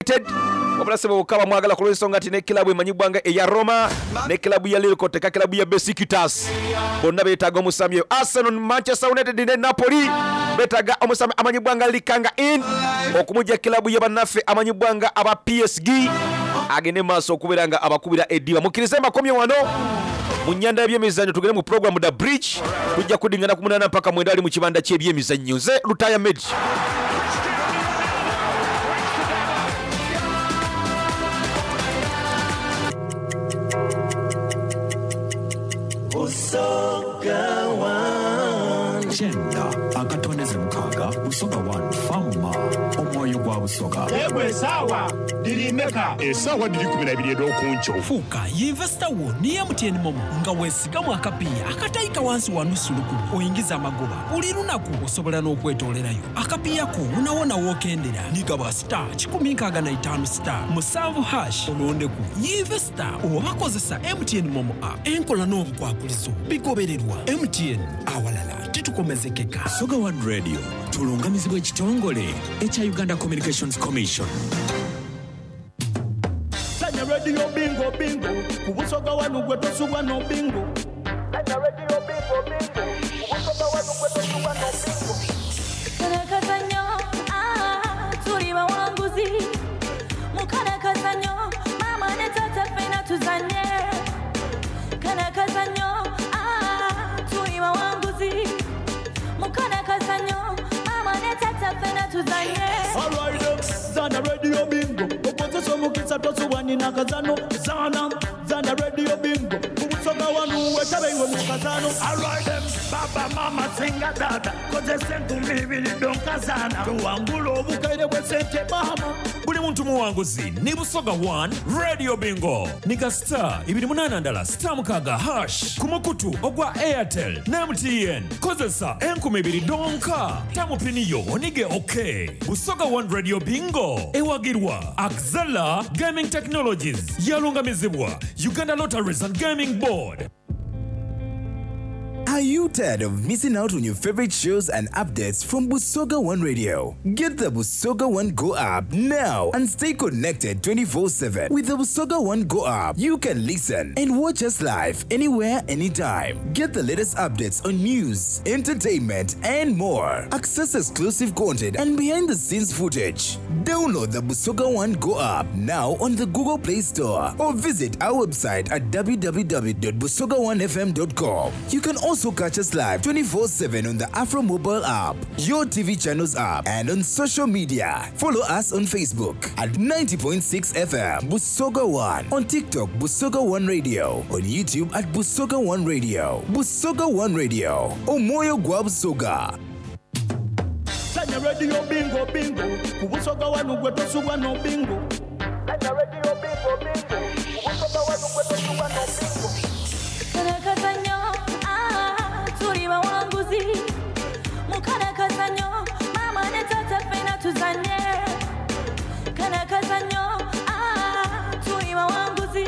United wabula ssebo bokka bamwagala ku lw'ensonga nti ne kilabu emanyibwa nga eya Roma ne kilabu ya Lille koteka kilabu ya Besiktas bonna betaaga omusambi oyo. Arsenal, Manchester United ne Napoli betaaga omusambi amanyibwa nga Lee Kang-in okumugya kilabu ya banaffe amanyibwa nga aba PSG agende mu maaso okubeera nga abakubira eddiba. Mukkirize mbakomye wano mu nyanda y'ebyemizannyo tugende mu pulogulaamu Da Bridge. Tujja kudingana ku munaana mpaka mwenda ali mu kibanda ky'ebyemizannyo. Nze Lutaaya Medi. Busoga One. Kyenda akatondeze mukaaga Busoga One Fama omwoyo gwa Busoga. Yegwe esaawa dhiri meka? Esaawa dhiri ikuminaibiri edh'okunkyo. Fuuka yinvesita wo ni MTN Momo nga wesigamu akapiiya akataika wansi wa nusu lukumi oingize amagoba buli lunaku. Osobola n'okwetoolerayo akapiiya ko wonawona w'okendera ni gaba star 165 star musanvu hash olondeku yinvesita oba kozesa MTN Momo app. Enkola n'obukwakulizo bigobererwa. MTN, awalala titukomezekeka. Busoga One Radio tulungamizibwa ekitongole ekya Uganda Communications Commission. Sanya radio bingo bingo ku Busoga wanu gwe tosubwa no bingo. Sanya radio bingo bingo ku Busoga wanu gwe tosubwa no bingo. Kano akazannyo, ah, tuli bawanguzi. Mu kano akazannyo, maama ne taata ffena tuzannye. Kano akazannyo, ah, tuli bawanguzi. Mu kano akazannyo, maama ne taata ffena tuzannye. Alright, zana radio bingo okozesa omukisa tosubwa nina kazano zana zana radio bingo ku Busoga wanu wetabe iwe mu kazano. Alright, baba mama singa dada kozesa enkumi ibiri donka zana tuwangula obukaire bwe sente mama. Buli muntu muwanguzi ni Busoga One Radio Bingo. Ni star ibiri munana ndala star mukaaga hash ku mukutu ogwa Airtel ne MTN. Kozesa enkumi ibiri donka tamupiniyo onige okay. Busoga One Radio Bingo ewagirwa Axela Gaming Technologies yalungamizibwa Uganda Lotteries and Gaming Board. Are you tired of missing out on your favorite shows and updates from Busoga One Radio? Get the Busoga One Go app now and stay connected 24/7. With the Busoga One Go app, you can listen and watch us live anywhere, anytime. Get the latest updates on news, entertainment, and more. Access exclusive content and behind the scenes footage. Download the Busoga One Go app now on the Google Play Store or visit our website at www.busoga1fm.com. You can also catch us live 24/7 on the Afro Mobile app, your TV channels app, and on social media. Follow us on Facebook at 90.6 FM Busoga One, on TikTok Busoga One Radio, on YouTube at Busoga One Radio. Busoga One Radio, Omoyo gwa Busoga. Sanya radio bingo bingo ku Busoga wanu gwe tosubwa no bingo. Sanya radio bingo bingo ku Busoga wanu gwe tosubwa no bingo. Kano akazannyo, ah, tuli bawanguzi. Mu kano akazannyo, maama ne taata ffena tuzannye. Kano akazannyo, ah, tuli bawanguzi.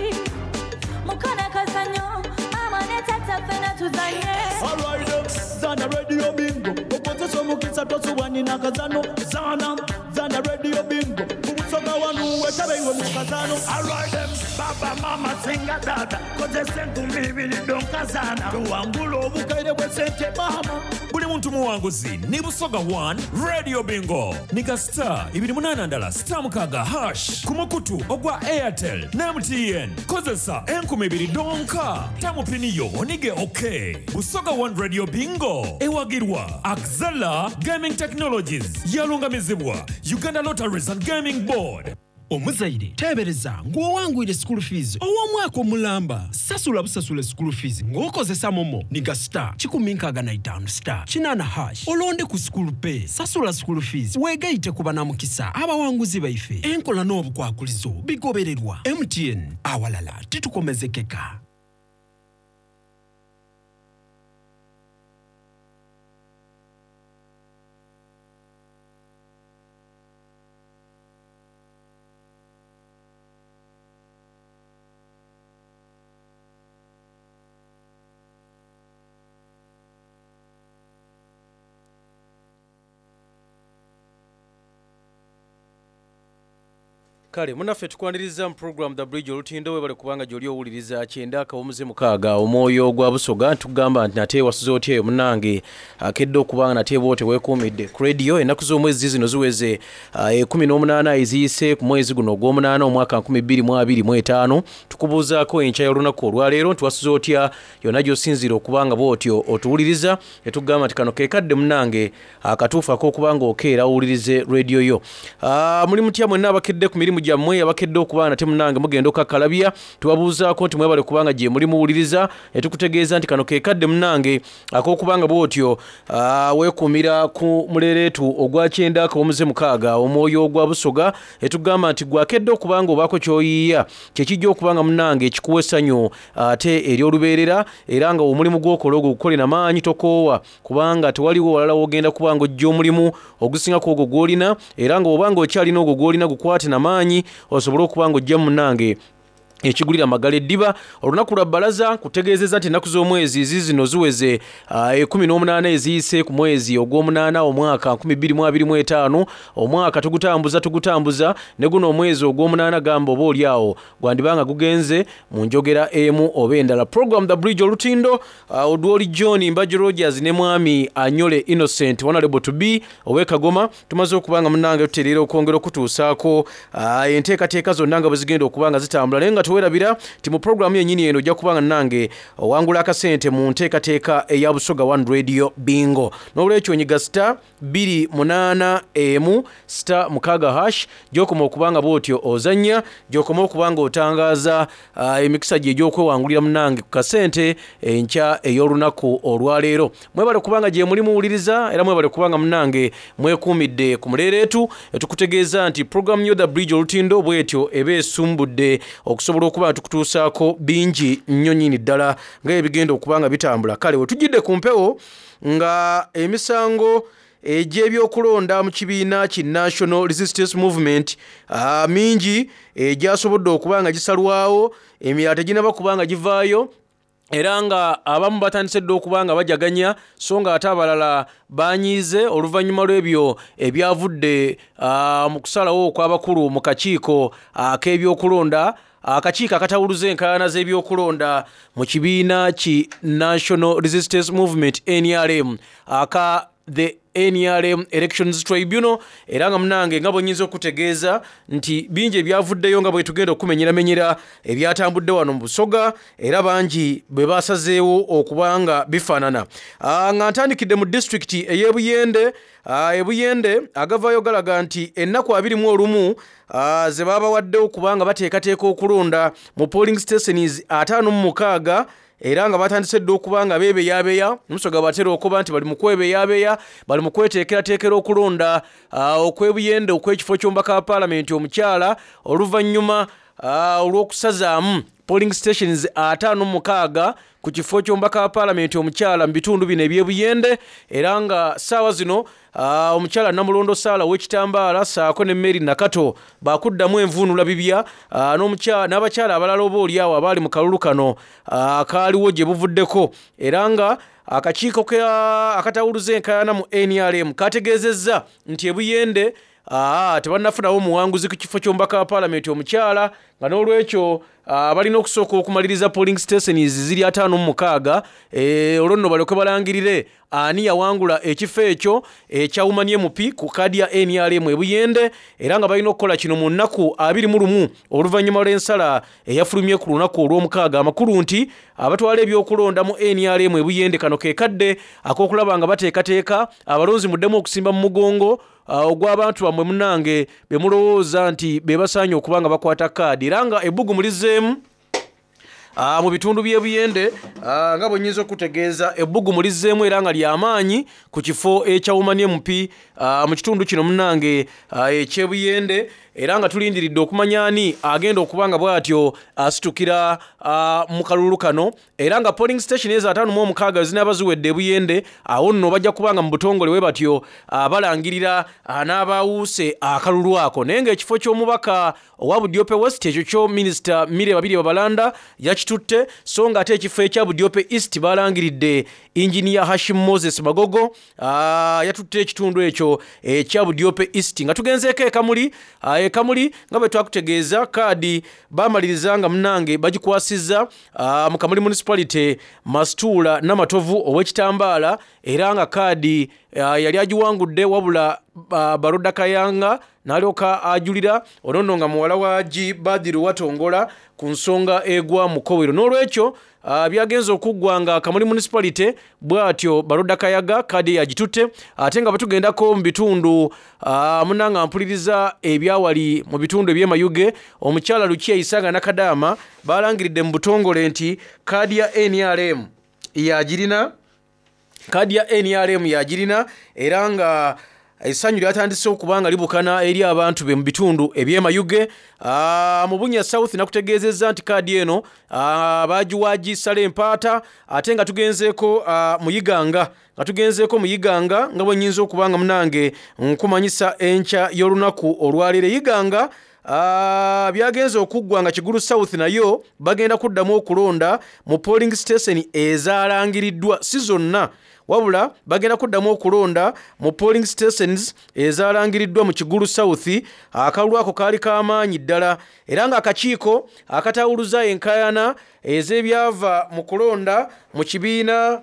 Mu kano akazannyo, maama ne taata ffena tuzannye. Alright, zana radio bingo okozesa omukisa tosubwa nina kazano zana zana radio bingo ku Busoga wanu wetabe iwe mu kazano. Alright, baba mama singa dada kozesa enkumi ibiri donka zana tuwangula obukaire bwe sente mama. Buli muntu muwanguzi ni Busoga One Radio Bingo. Ni ka star ibiri munana ndala star mukaaga hash ku mukutu ogwa Airtel ne MTN. Kozesa enkumi ibiri donka tamupiniyo onige okay. Busoga One Radio Bingo ewagirwa Axela Gaming Technologies yalungamizibwa Uganda Lotteries and Gaming Board. Omuzaire teebereza ng'owangwire school fees ow'omwaka omulamba. Sasula busasule school fees ng'okozesa momo niga star kikumi nkaaga na itaanu star kinaana hash olonde ku school pay. Sasula school fees weegayite ku banamukisa abawanguzi baife. Enkola n'obukwakulizo bigobererwa. MTN, awalala titukomezekeka. Kale munaffe tukwaniriza mu program The Bridge Olutindo. Webale kubanga gyoli owuliriza kyenda akawumuze mukaaga omwoyo gwa Busoga. Ntugamba nti nate wasuze otya eyo munange akedde okubanga nate bwote weekuumidde ku radio. Ennaku z'omwezi zino ziweze 18 eziyise ku mwezi guno ogw'omunaana omwaka 2025. Tukubuuzaako enkya y'olunaku olwaleero nti wasuze otya yonna gy'osinziira okubanga bwotyo otuwuliriza. Etugamba nti kano ke kadde munange akatuufu ak'okubanga okeera owulirize radio yo. Muli mutya mwenna abakedde ku mirimu gyammwe, abakedde okuba nate munange mugenda okakkalabya? Tubabuuzaako nti mwebale kubanga gye muli muwuliriza. Etukutegeeza nti kano ke kadde munange ak'okubanga bwotyo weekuumira ku muleeretu ogwa kyenda akawumuze mukaaga omwoyo ogwa Busoga. Etugamba nti gwakedde okubanga obaako ky'oyiiya kyekijja okubanga munange ekikuwa essanyu ate ery'olubeerera, era nga omulimu gw'okola ogwo gukole na maanyi, tokoowa, kubanga tewaliwo walala w'ogenda kubanga ojja omulimu ogusingako ogwo gw'olina. Era nga obanga okyalina ogwo gw'olina gukwate na maanyi osobole okuba nga ojja munange ekigulira amagala eddiba. Olunaku lwa bbalaza nkutegeezezza nti ennaku z'omwezi zizino ziweze 18 eziyise ku mwezi ogw'omunaana omwaka 2025. Omwaka tugutambuza ne guno omwezi ogw'omunaana gamba oba oli awo gwandibanga gugenze mu njogera emu oba endala. Program The Bridge Olutindo, Odwoli John Mbajo Rogers ne mwami Anyole Innocent Honorable to be ow'e Kagoma, tumaze okubanga munnange tutereera okwongera okutuusaako enteekateeka zonna nga bwe zigenda okuba nga zitambula. Naye nga tewerabira nti mu puroguramu yennyini eno ojja kubanga nange owangula akasente mu nteekateeka eya Busoga One Radio Bingo. N'olwekyo nyiga star 281 star 6 hash gy'okoma okubanga bw'otyo ozannya, gy'okoma okubanga otangaaza emikisa gye egy'okwewangulira munange ku kasente enkya ey'olunaku olwaleero. Mwebale kubanga gye muli muwuliriza, era mwebale kubanga munange mwekuumidde ku muleereetu. Etukutegeeza nti puroguramu yo The Bridge Olutindo bw'etyo eba esumbudde okusobola okuba nga tukutuusaako bingi nnyo nnyini ddala nga ebigenda okuba nga bitambula. Kale we tujjidde ku mpewo nga emisango egy'ebyokulonda mu kibiina ki National Resistance Movement mingi egyasobodde okuba nga gisalwawo, emirala teginaba kuba nga givaayo, era nga abamu batandise dda okuba nga bajaganya, so nga ate abalala banyiize oluvannyuma lw'ebyo ebyavudde mu kusalawo okw'abakulu mu kakiiko ak'ebyokulonda, akakiiko akatawuluza enkaayana z'ebyokulonda mu kibiina ki National Resistance Movement NRM, aka the NRM Elections Tribunal. Era nga munange nga bwe nnyinza okutegeeza nti bingi ebyavuddeyo nga bwe tugenda okumenyeramenyera ebyatambudde wano mu Busoga, era bangi bwe basazeewo okuba nga bifaanana. Nga ntandikidde mu disitulikiti ey'e Buyende, e Buyende agavaayo galaga nti ennaku 21 ze baabawaddewo kubanga bateekateeka okulonda mu polling stations 56, era nga batandise dda okuba nga beebeyabeya. Omusoga batera okuba nti bali mu kwebeyabeya, bali mu kweteekerateekera okulonda okw'Ebuyende okw'ekifo ky'omubaka wa paalamenti omukyala, oluvannyuma olw'okusazaamu polling stations 56 ku kifo ky'omubaka wa paalamenti omukyala mu bitundu bino eby'Ebuyende. Era nga ssaawa zino omukyala Namulondo Saala ow'ekitambaala ssaako ne Mary Nakato bakuddamu envuunula bibya, n'abakyala abalala oba oli awo abaali mu kalulu kano kaaliwo gye buvuddeko. Era nga akakiiko akatawuluza enkaayana mu NRM kategeezezza nti Ebuyende tebannafunawo muwanguzi ku kifo ky'omubaka wa paalamenti omukyala, nga n'olwekyo balina okusooka okumaliriza polling stations ziri 56, olwo nno balyoke balangirire ani yawangula ekifo ekyo ekya Woman MP ku kaadi ya NRM Ebuyende. Era nga balina okukola kino mu nnaku 21 oluvannyuma lw'ensala eyafulumye ku lunaku olw'omukaaga. Amakulu nti abatwala ebyokulonda mu NRM Ebuyende kano ke kadde ak'okulaba nga bateekateeka abalonzi muddemu okusimba mu mugongo ogw'abantu bammwe munnange be mulowooza nti be basaanye okuba nga bakwata kaadi. Era nga ebbugumu lizzeemu mu bitundu by'e Buyende, nga bwe nnyinza okutegeeza ebbugumu lizzeemu era nga ly'amaanyi ku kifo ekya Woman MP mu kitundu kino munnange eky'e Buyende. Era nga tulindiridde okumanya ani agenda okuba nga bw'atyo asitukira mu kalulu kano. Era nga polling station ezo 56 zinaaba ziwedde e Buyende, awo nno bajja kuba nga mu butongole we batyo balangirira n'abaawuuse akalulu ako. Naye ng'ekifo ky'omubaka owa Budiope West ekyo kyo Minisita Mire Babirye Babalanda yakitutte, so nga ate ekifo ekya Budiope East balangiridde Engineer Hashim Moses Magogo yatutte ekitundu ekyo ekya Budiope East. Nga tugenzeeko e Kamuli, E Kamuli nga bwe twakutegeeza kaadi baamaliriza nga munnange bagikwasizza mu Kamuli Municipality Masituula Namatovu ow'ekitambaala era nga kaadi yali agiwangudde wabula Baroda Kayanga n'alyoka ajulira ono nno nga muwala wa G Badru Watongola ku nsonga egwa mu Kowero. N'olwekyo byagenze okuggwa nga Kamuli Municipality bw'atyo Baroda Kayaga kaadi ye agitutte ate nga bwe tugendako mu bitundu munnange mpuliriza ebyawali mu bitundu eby'e Mayuge omukyala Lukia Isanga Nakadaama baalangiridde mu butongole nti kaadi ya nrm yagirina kaadi ya nrm yagirina era nga essanyu lyatandise okuba nga libukana eri abantu be mu bitundu eby'e Mayuge. Mu Bunya South nakutegeezezza nti kaadi eno baagiwa gisala empaata ate nga tugenzeeko mu Iganga nga tugenzeeko mu Iganga nga bwe nnyinza okuba nga munange nkumanyisa enkya y'olunaku olwaleero. Iganga byagenze okuggwa nga Kigulu South nayo bagenda kuddamu okulonda mu polling station ezaalangiriddwa si zonna wabula bagenda kuddamu okulonda mu polling stations ezaalangiriddwa mu Kigulu South. Akalulu ako kaali k'amaanyi ddala era ng'akakiiko akatawuluza enkaayana ez'ebyava mu kulonda mu kibiina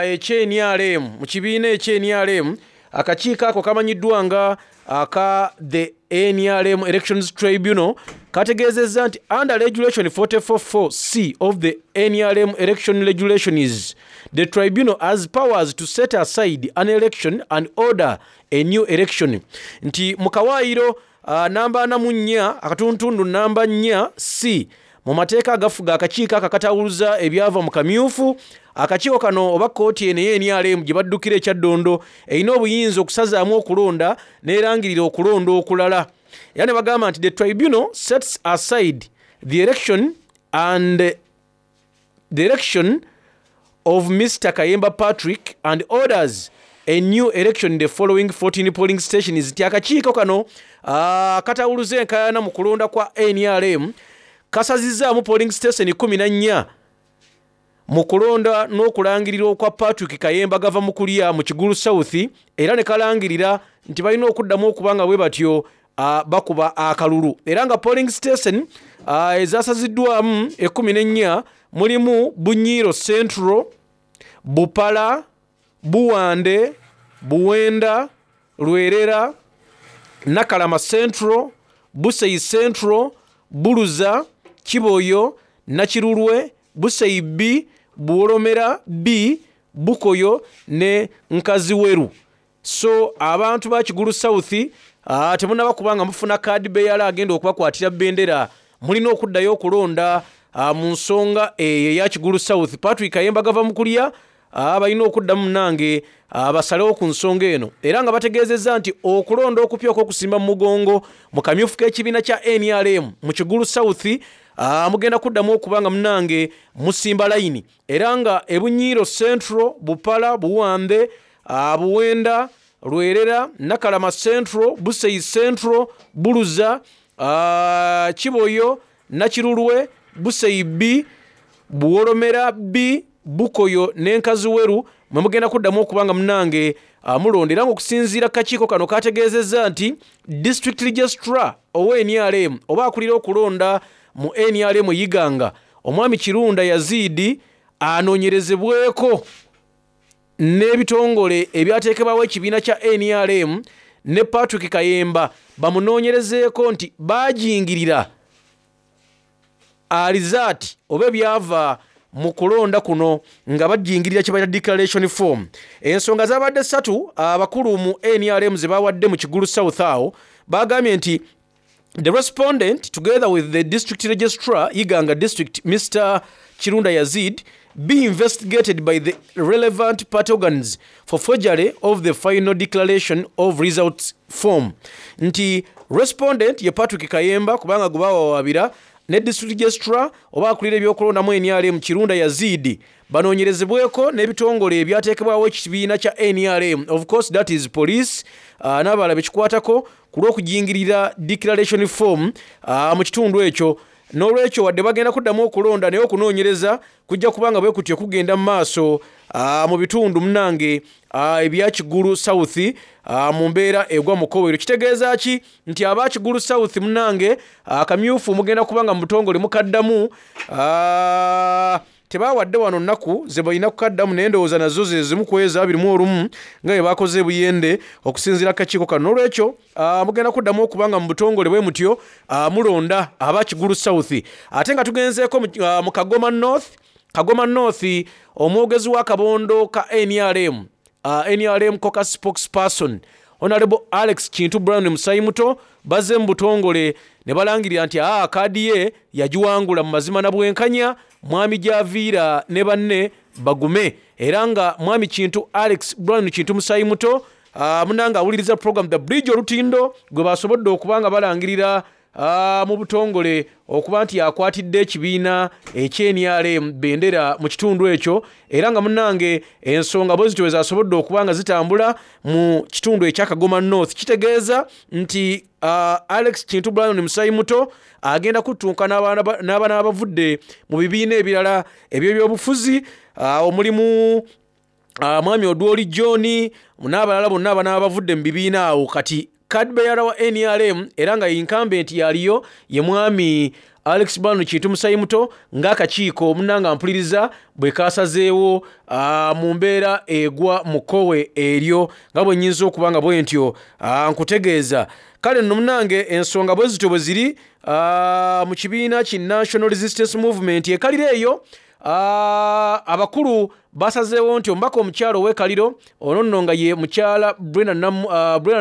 eky'NRM mu kibiina eky'NRM akakiiko ako kamanyiddwa nga aka the NRM Elections Tribunal kategeezezza nti under regulation 444C of the NRM election regulations the tribunal has powers to set aside an election and order a new election nti mu kawaayiro namba 44 akatundutundu namba 4 C mu mateeka agafuga akakiiko ako akatawuluza ebyava mu kamyufu akakiiko kano oba kkooti eno ey'NRM gye baddukira e Kyaddondo erina obuyinza okusazaamu okulonda n'erangirira okulonda okulala era ne bagamba nti the tribunal sets aside the election and the election of Mr. Kayemba Patrick and orders a new election in the following 14 polling stations nti akakiiko kano katawuluza enkaayana mu kulonda kwa NRM kasazizzaamu polling station 14 mu kulonda n'okulangirira okwa Patrick Kayemba gava mu kulya mu Kigulu South era ne kalangirira nti balina okuddamu okuba nga bwe batyo bakuba akalulu era nga polling station ezasaziddwamu 14 mulimu Bunyiro Central, Bupala, Buwande, Buwenda, Lwerera, Nakalama Central, Buseyi Central, Buluza, Kiboyo, Nakirulwe, Buseyi B, Buwolomera B, Bukoyo ne Nkaziweru. So abantu ba Kigulu South temunnaba kuba nga mufuna kaadi beyala agenda okubakwatira bendera mulina okuddayo okulonda mu nsonga eyo eya Kigulu South. Patrick Kayemba gava mu kulya balina okuddamu munnange basalewo ku nsonga eno era nga bategeezezza nti okulonda okupya okw'okusimba mu mugongo mu kamyufu k'ekibiina kya NRM mu Kigulu South mugenda kuddamu okuba nga munnange musimba layini era nga e Bunyiiro Central, Bupala, Buwambe, Buwenda, Lwerera, Nakalama Central, Buseyi Central, Buluza, Kiboyo, Nakirulwe, Buseyi B, Buwolomera B, Bukoyo ne Nkaziweru mwe mugenda kuddamu okuba nga munnange mulonda era ng'okusinziira kakiiko kano kategeezezza nti district registrar owa NRM oba akulira okulonda mu NRM Iganga omwami Kirunda Yazidi anoonyerezebweko n'ebitongole ebyateekebwawo ekibiina kya NRM ne Patrick Kayemba bamunoonyerezeeko nti baajingirira alizaati oba ebyava mu kulonda kuno nga bajingirira kye bayita declaration form. Ensonga zaabadde ssatu abakulu mu NRM ze bawadde mu Kigulu South awo bagambye nti the respondent together with the district registrar Iganga district Mr. Kirunda Yazid be investigated by the relevant party organs for forgery of the final declaration of results form nti respondent ye Patrick Kayemba kubanga gwe bawawaabira ne district registrar oba akulira ebyokulondamu NRM Kirunda Yazid banoonyerezebweko n'ebitongole ebyateekebwawo ekibiina kya NRM of course that is police n'abalala bekikwatako ku lw'okujingirira declaration form mu kitundu ekyo. N'olwekyo wadde bagenda kuddamu okulonda naye okunoonyereza kujja kuba nga bwe kutyo kugenda mu maaso mu bitundu munnange ebya Kigulu South mu mbeera egwa mu kowero. Kitegeeza ki nti aba Kigulu South munnange akamyufu mugenda kuba nga mu butongole mukaddamu. Tebawadde wano nnaku ze balina kukaddamu naye ndowooza nazo ze zimu ku ezo 21 nga bwe bakoze e Buyende okusinziira ku kakiiko kano. Noolwekyo mugenda kuddamu okuba nga mu butongole bwe mutyo mulonda aba Kigulu South. Ate nga tugenzeeko mu Kagoma North, Kagoma North omwogezi w'akabondo ka nrm, nrm Caucus spokesperson Honorable Alex Kintu Brown Musayimuto bazze mu butongole ne balangirira nti aa kaadi ye yagiwangula mu mazima na bwenkanya, Mwami Gyaviira ne banne bagume. Era nga Mwami Kintu Alex Brown Kintu Musayimuto munange awuliriza program The Bridge Olutindo gwe basobodde okuba nga balangirira mu butongole okuba nti yakwatidde ekibiina eky'NRM bendera mu kitundu ekyo, era nga munnange ensonga bwe zityo bwe zasobodde okuba nga zitambula mu kitundu ekya Kagoma North. Kitegeeza nti Alex Kintu Brown Musayimuto agenda kuttunka n'abaana abavudde mu bibiina ebirala eby'ebyobufuzi, omulimu Mwami Odwoli John n'abalala bonna abanaaba bavudde mu bibiina awo. Kati card bearer wa NRM era nga incumbent yaliyo ye Mwami Alex Brown Kintu Musayimuto, ng'akakiiko munnanga mpuliriza bwe kasazeewo mu mbeera egwa mu kkowe eryo, nga bwe nnyinza okuba nga bwe ntyo nkutegeeza. Kale nno munnange ensonga bwe zityo bwe ziri mu kibiina ki National Resistance Movement ekalira eyo. Abakulu basazeewo nti omubaka omukyala ow'ekaliro ono nno nga ye mukyala Brenda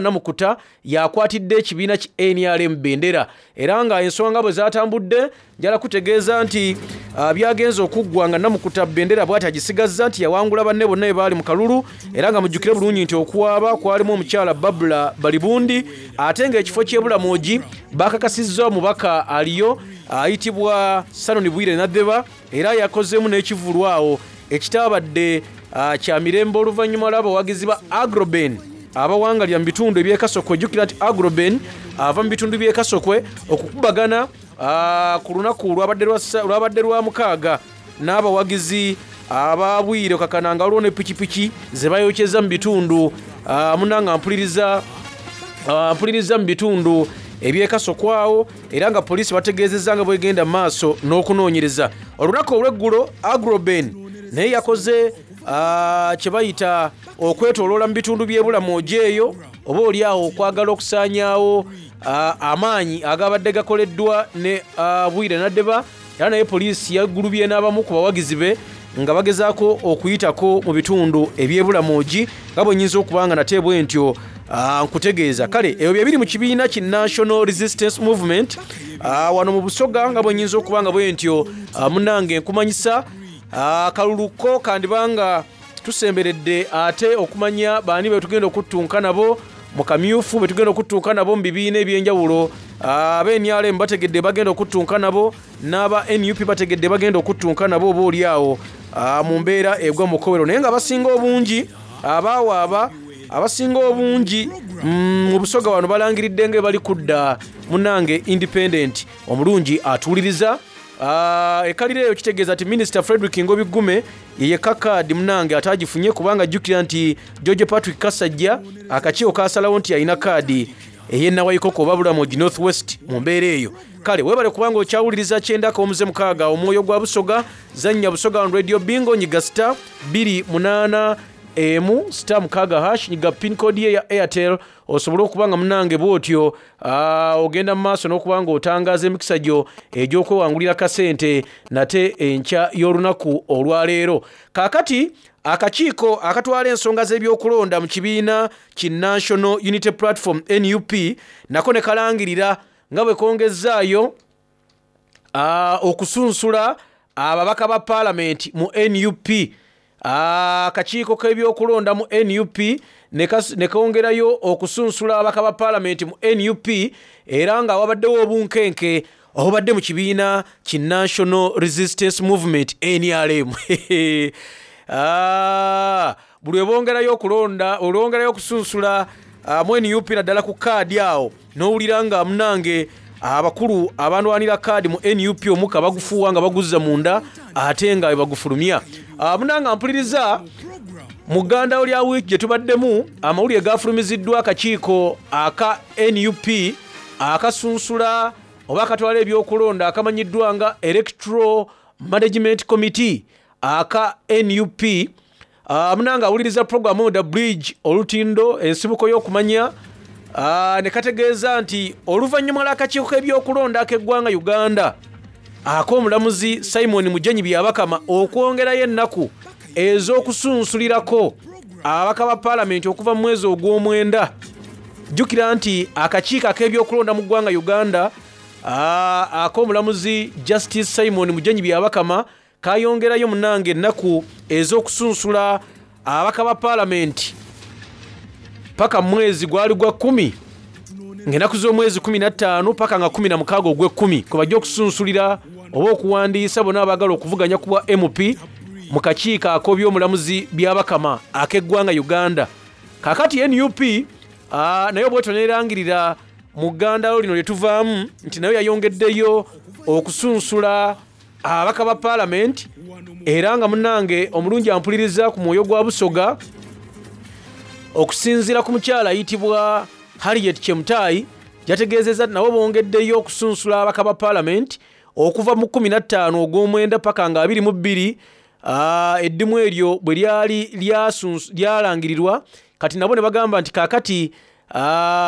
Namukuta yakwatidde ekibiina ki NRM bendera, era nga ensonga bwe zatambudde njala kutegeeza nti byagenze okuggwa nga Namukuta bendera bw'ati agisigazza nti yawangula banne bonna be baali mu kalulu, era nga mujjukire bulungi nti okuwaaba kwalimu omukyala Babula Balibundi, ate ng'ekifo ky'Ebulamogi bakakasizza omubaka aliyo ayitibwa Sanoni Bwire Nadheba, era yakozeemu n'ekivvulu awo ekitaabadde kya mirembe oluvannyuma lw'abawagizi ba Agroben abawangalira mu bitundu eby'e Kasokwe. Jjukira nti Agroben ava mu bitundu by'e Kasokwe okukubagana ku lunaku lwabadde lwa mukaaga n'abawagizi ababwire okakana nga waliwo ne pikipiki ze bayokyeza mu bitundu munanga mpuliriza mu bitundu eby'e Kasokwe awo, era nga poliisi bategeezezza nga bwegenda mu maaso n'okunoonyereza. Olunaku olw'eggulo Agroben naye yakoze kye bayita okwetooloola mu bitundu by'e Bulamogi eyo, oba oli awo okwagala okusaanyaawo amaanyi agabadde gakoleddwa ne Bwire Nadeba, era naye poliisi yagulubye n'abamu ku bawagizi be nga bagezaako okuyitako mu bitundu eby'e Bulamogi, nga bwe nnyinza okuba nga nate bwe ntyo nkutegeeza. Kale ebyo bye biri mu kibiina ki National Resistance Movement wano mu Busoga, nga bwe nnyinza okuba nga bwe ntyo munnange nkumanyisa akalulu ko kandibanga tusemberedde ate okumanya baani be tugenda okuttunka nabo mu kamyufu, be tugenda okuttunka nabo mu bibiina ebyenjawulo. Aba NRM bategedde bagenda okuttunka nabo, n'aba NUP bategedde bagenda okuttunka nabo oba oli awo mu mbeera egwa mu kowero. Naye nga abasinga obungi abaawaaba, abasinga obungi mu Busoga wano balangiridde nga bali kudda munnange independent omulungi atuwuliriza. Ekalira eyo kitegeeza nti Minisita Frederick Ngobi Gume ye yekka kaadi munnange ataagifunye, kubanga ajjukira nti George Patrick Kasajja akakiiko kaasalawo nti alina kaadi ey'e Nawaikoko oba Bulamogi North West mu mbeera eyo. Kale weebale kubanga okyawuliriza 96 omwoyo gwa Busoga. Zannya Busoga on Radio Bingo, nyiga star 28 emu star 6 hash, nyiga pin code ye ya Airtel osobole okuba nga munnange bw'otyo ogenda mu maaso n'okuba nga otangaaza emikisa gyo egy'okwewangulira kasente nate enkya y'olunaku olwaleero. Kaakati akakiiko akatwala ensonga z'ebyokulonda mu kibiina ki National Unity Platform NUP nako ne kalangirira nga bwe kongezzaayo okusunsula ababaka ba paalamenti mu NUP. Akakiiko k'ebyokulonda mu NUP ne kongerayo okusunsula ababaka ba paalamenti mu NUP, era nga wabaddewo obunkenke obubadde mu kibiina ki National Resistance Movement NRM. Buli webongerayo okulonda, olwongerayo okusunsula mu NUP naddala ku kaadi awo n'owulira nga munange Abakulu abanwanira kaadi mu nup omuka bagufuuwa nga baguzza munda ate nga webagufulumya. Munanga mpuliriza, mu ggandawo lya wiiki gye tubaddemu, amawulire gafulumiziddwa akakiiko aka nup akasunsula oba akatwala ebyokulonda akamanyiddwa nga Electoral Management Committee aka nup. Munanga awuliriza programu The Bridge, Olutindo, ensibuko y'okumanya, ne kategeeza nti oluvannyuma lw'akakiiko k'ebyokulonda ak'eggwanga Uganda ak'omulamuzi Simon Mugenyi Byabakama okwongerayo ennaku ez'okusunsulirako ababaka ba paalamenti okuva mu mwezi ogw'omwenda. Jjukira nti akakiiko ak'ebyokulonda mu ggwanga Uganda ak'omulamuzi Justice Simon Mugenyi Byabakama kayongerayo munange ennaku ez'okusunsula ababaka ba paalamenti paka mwezi gwali gwa 10, ng'ennaku z'omwezi 15 paka nga 16 ogw'ekkumi kwe bajja okusunsulira oba okuwandiisa bonna abaagala okuvuganya ku bwa MP mu kakiiko ak'obyomulamuzi Byabakama ak'eggwanga Uganda. Kaakati nup naye obwetyo neerangirira mu ggandalo lino lye tuvaamu nti nayo yayongeddeyo okusunsula ababaka ba paalamenti. Era nga munnange omulungi ampuliriza ku mwoyo gwa Busoga, okusinziira ku mukyala ayitibwa Harriet Chemtai, yategeezezza nabo bongeddeyo okusunsula ababaka ba paalamenti okuva mu 15 ogw'omwenda paka nga 22. Eddimu eryo bwe lyali lyalangirirwa, kati nabo ne bagamba nti kaakati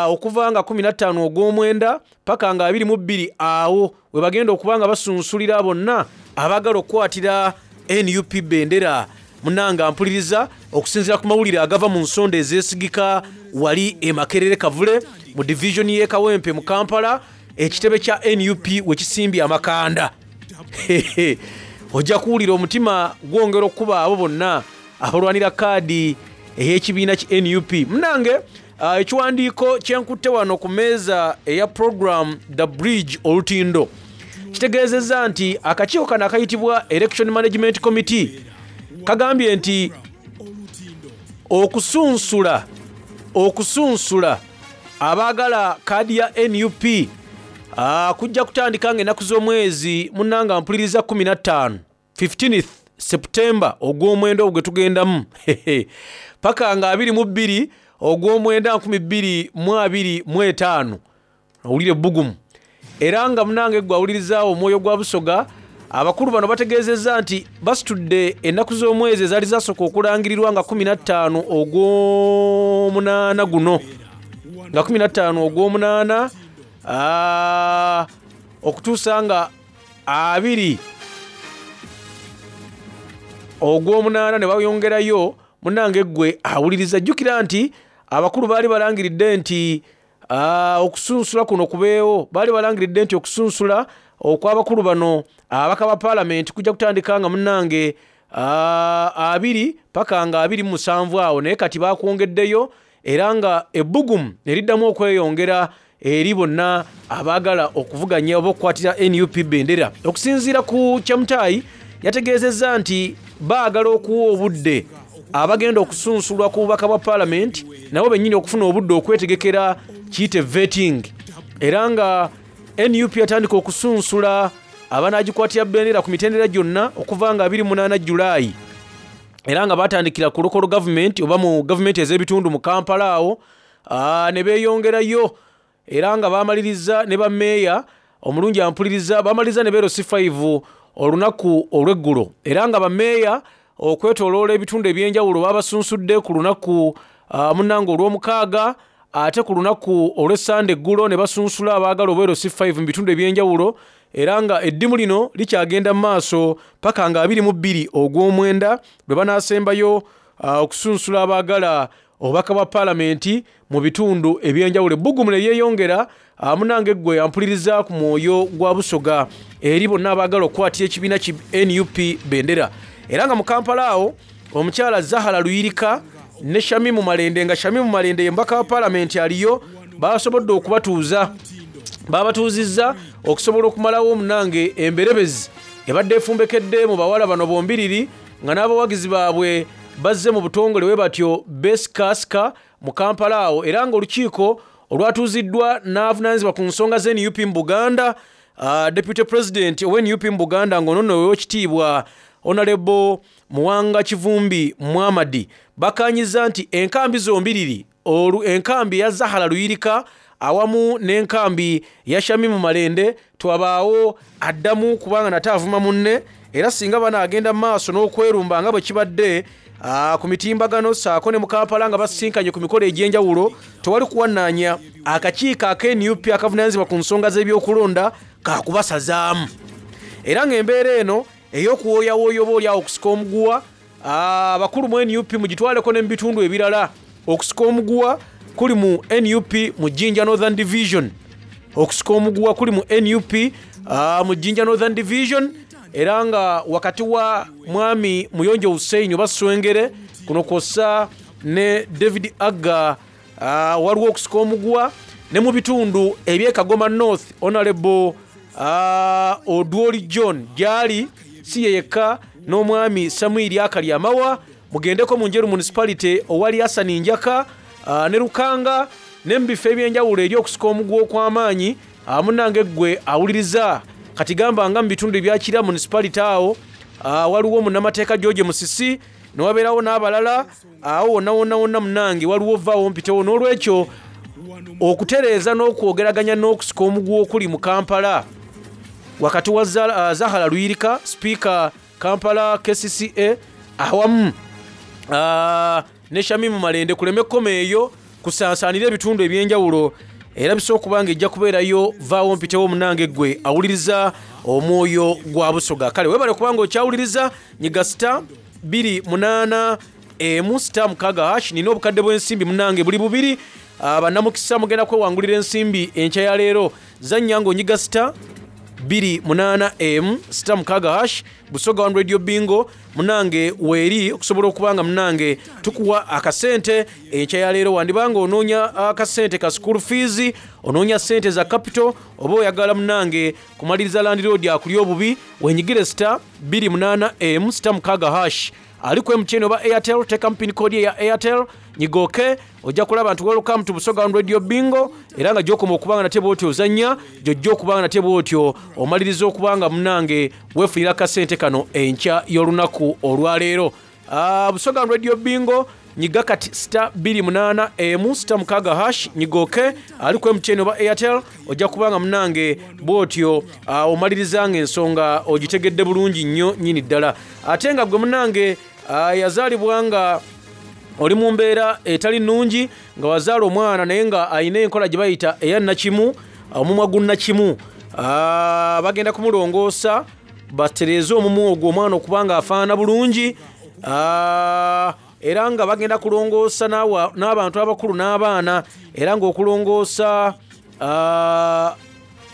okuva nga 15 ogw'omwenda paka nga 22 awo we bagenda okuba nga basunsulira bonna abaagala okukwatira nup bendera. Munanga mpuliriza, okusinziira ku mawulire agava mu nsonda ezeesigika wali e Makerere Kavule mu divisioni y'e Kawempe mu Kampala, ekitebe kya nup we kisimbye amakanda, ojja kuwulira omutima gwongera okukuba abo bonna abalwanira kaadi ey'ekibiina ki nup. Munange, ekiwandiiko kyenkutte wano ku meeza eya program The Bridge Olutindo kitegeezezza nti akakiiko kano akayitibwa Election Management Committee kagambye nti okusunsula abaagala kaadi ya nup kujja kutandika nga ennaku z'omwezi, munnanga mpuliriza, 15, 15th September ogw'omwenda ogwo gwe tugendamu paka nga 22 ogw'omwenda 2025. Owulire ebbugumu. Era nga munange gwe awulirizaawo omwoyo gwa Busoga, abakulu bano bategeezezza nti basitudde ennaku z'omwezi ezaali zasooka okulangirirwa nga 15 ogw'omunaana guno, nga 15 ogw'omunaana okutuusa nga 2 ogw'omunaana ne bayongerayo. Munnange ggwe awuliriza, jjukira nti abakulu baali balangiridde nti okusunsula kuno kubeewo, baali balangiridde nti okusunsula okw'abakulu bano ababaka ba paalamenti kujja kutandika nga munnange 2 paka nga 27 awo, naye kati bakwongeddeyo era nga ebbugumu ne liddamu okweyongera eri bonna abaagala okuvuganya oba okukwatira nup bendera. Okusinziira ku Kyamutayi, yategeezezza nti baagala okuwa obudde abagenda okusunsulwa ku bubaka bwa paalamenti nabo bennyini okufuna obudde okwetegekera kiyite vetting. Era nga nup yatandika okusunsula abanaagikwatira bendera ku mitendera gyonna okuva nga 28 Julayi, era nga batandikira ku local government oba mu gavumenti ez'ebitundu mu Kampala awo, ne beeyongerayo era nga bamaliriza ne bameeya. Omulungi ampuliriza, bamaliriza ne ba LC5 olunaku olw'eggulo, era nga bameeya okwetooloola ebitundu ebyenjawulo babasunsudde ku lunaku munnange olw'omukaaga, ate ku lunaku olw'essande eggulo ne basunsula abaagala obwa LC5 mu bitundu ebyenjawulo. Era nga eddimu lino likyagenda mu maaso paka nga 22 ogw'omwenda lwe banaasembayo okusunsula abaagala obubaka bwa paalamenti mu bitundu ebyenjawulo. Ebbugumu ne lyeyongera, munange ggwe ampuliriza ku mwoyo gwa Busoga, eri bonna abaagala okukwatira ekibiina ki nup bendera. Era nga mu Kampala awo omukyala Zahara Luyirika ne Shamimu Malende, nga Shamimu Malende ye mubaka wa paalamenti aliyo, basobodde okubatuuza, babatuuzizza okusobola okumalawo omunange emberebezi ebadde efumbekedde mu bawala bano bombiriri, nga n'abawagizi baabwe bazze mu butongole we batyo besikasika mu Kampala awo. Era nga olukiiko olwatuuziddwa n'avunaanyizibwa ku nsonga za nup mu buganda uh, deputy president owa nup mu buganda ng'ono nno owekitiibwa honorable muwanga kivumbi muhamadi bakanyiza nti enkambi zombiriri olu enkambi eya zahara luyirika awamu n'enkambi ya shamimu malende twabaawo addamu kubanga nate avuma munne era singa banaagenda mu maaso n'okwerumba nga bwe kibadde ku mitimbagano saako ne mu kampala nga basisinkanye ku mikolo egy'enjawulo tewali kuwannaanya akakiiko aka nup akavunaanyizibwa ku nsonga z'ebyokulonda kakubasazaamu era ng'embeera eno ey'okuwooyawooya oba oliawo okusika omuguwa abakulu mu nup mugitwaleko ne mu bitundu ebirala okusika omuguwa kuli mu nup mu jinja northern division okusika omuguwa kuli mu nup mu jinja northern division era nga wakati wa mwami muyonjo hussein oba swengere kuno kwossa ne david agga uh, waliwo okusika omuguwa ne mu bitundu ebyekagoma north honorable uh, odwoli john gyali si ye yekka n'omwami samuiri akali amawa mugendeko mu njeru municipality owali hasani njaka uh, ne lukanga ne mu bifo ebyenjawulo eri okusika omuguwa okw'amaanyi uh, munnange ggwe awuliriza kati gamba nga mu bitundu ebyakira municipality awo uh, waliwo munnamateeka george musisi newabeerawo n'abalala awo wonna wonna wonna munnange waliwo vaawo mpitewo n'olwekyo okutereeza n'okwogeraganya n'okusika omuguwa okuli mu kampala wakati wa zahara luyirika sipiika kampala kcca awamu uh, ne shamimu malende kuleme koma eyo kusansaanira ebitundu ebyenjawulo era bisobola okuba nga ejja kubeerayo vaawo mpitewo munange ggwe awuliriza omwoyo gwa busoga kale webale kubanga okyawuliriza nyiga sita 28 emu sita mukaaga hash nina obukadde bw'ensimbi munange buli bubiri bannamukisa mugenda kwewangulira ensimbi enkya ya leero zannya ng'onyiga sita 28 emu sita mukaaga hash busoga one radio bingo munange weeri okusobola okuba nga munange tukuwa akasente enkya ya leero wandibanga onoonya akasente ka school fees onoonya sente za capital oba oyagala munange kumaliriza landiroodi akuli obubi wenyigire sita 28 emu sita mukaaga hash ali ku mtn oba airtel tekamu pin code eya airtel nyigoke ojja kulaba nti welcome to busoga one radio bingo era nga gyokoma okuba nga nate bwotyo ozannya gyojja okuba nga nate bwotyo omaliriza okuba nga munange weefunira akasente kano enkya y'olunaku olwaleero uh, busoga one radio bingo nyiga kati sita 28 emu sita mukaaga hash nyigoke ali ku mtn oba airtel ojja kuba nga munange bwotyo uh, omaliriza nga ensonga ogitegedde bulungi nnyo nnyini ddala ate nga gwe munange uh, yazaalibwa nga oli mu mbeera etali nnungi nga wazaala omwana naye nga alina enkola gye bayita eya nakimu omumwa gunnakimu uh, bagenda kumulongoosa batereeze omumwa ogwo omwana okuba nga afaanana bulungi uh, era nga bagenda kulongoosa n'abantu abakulu n'abaana era ng'okulongoosa uh,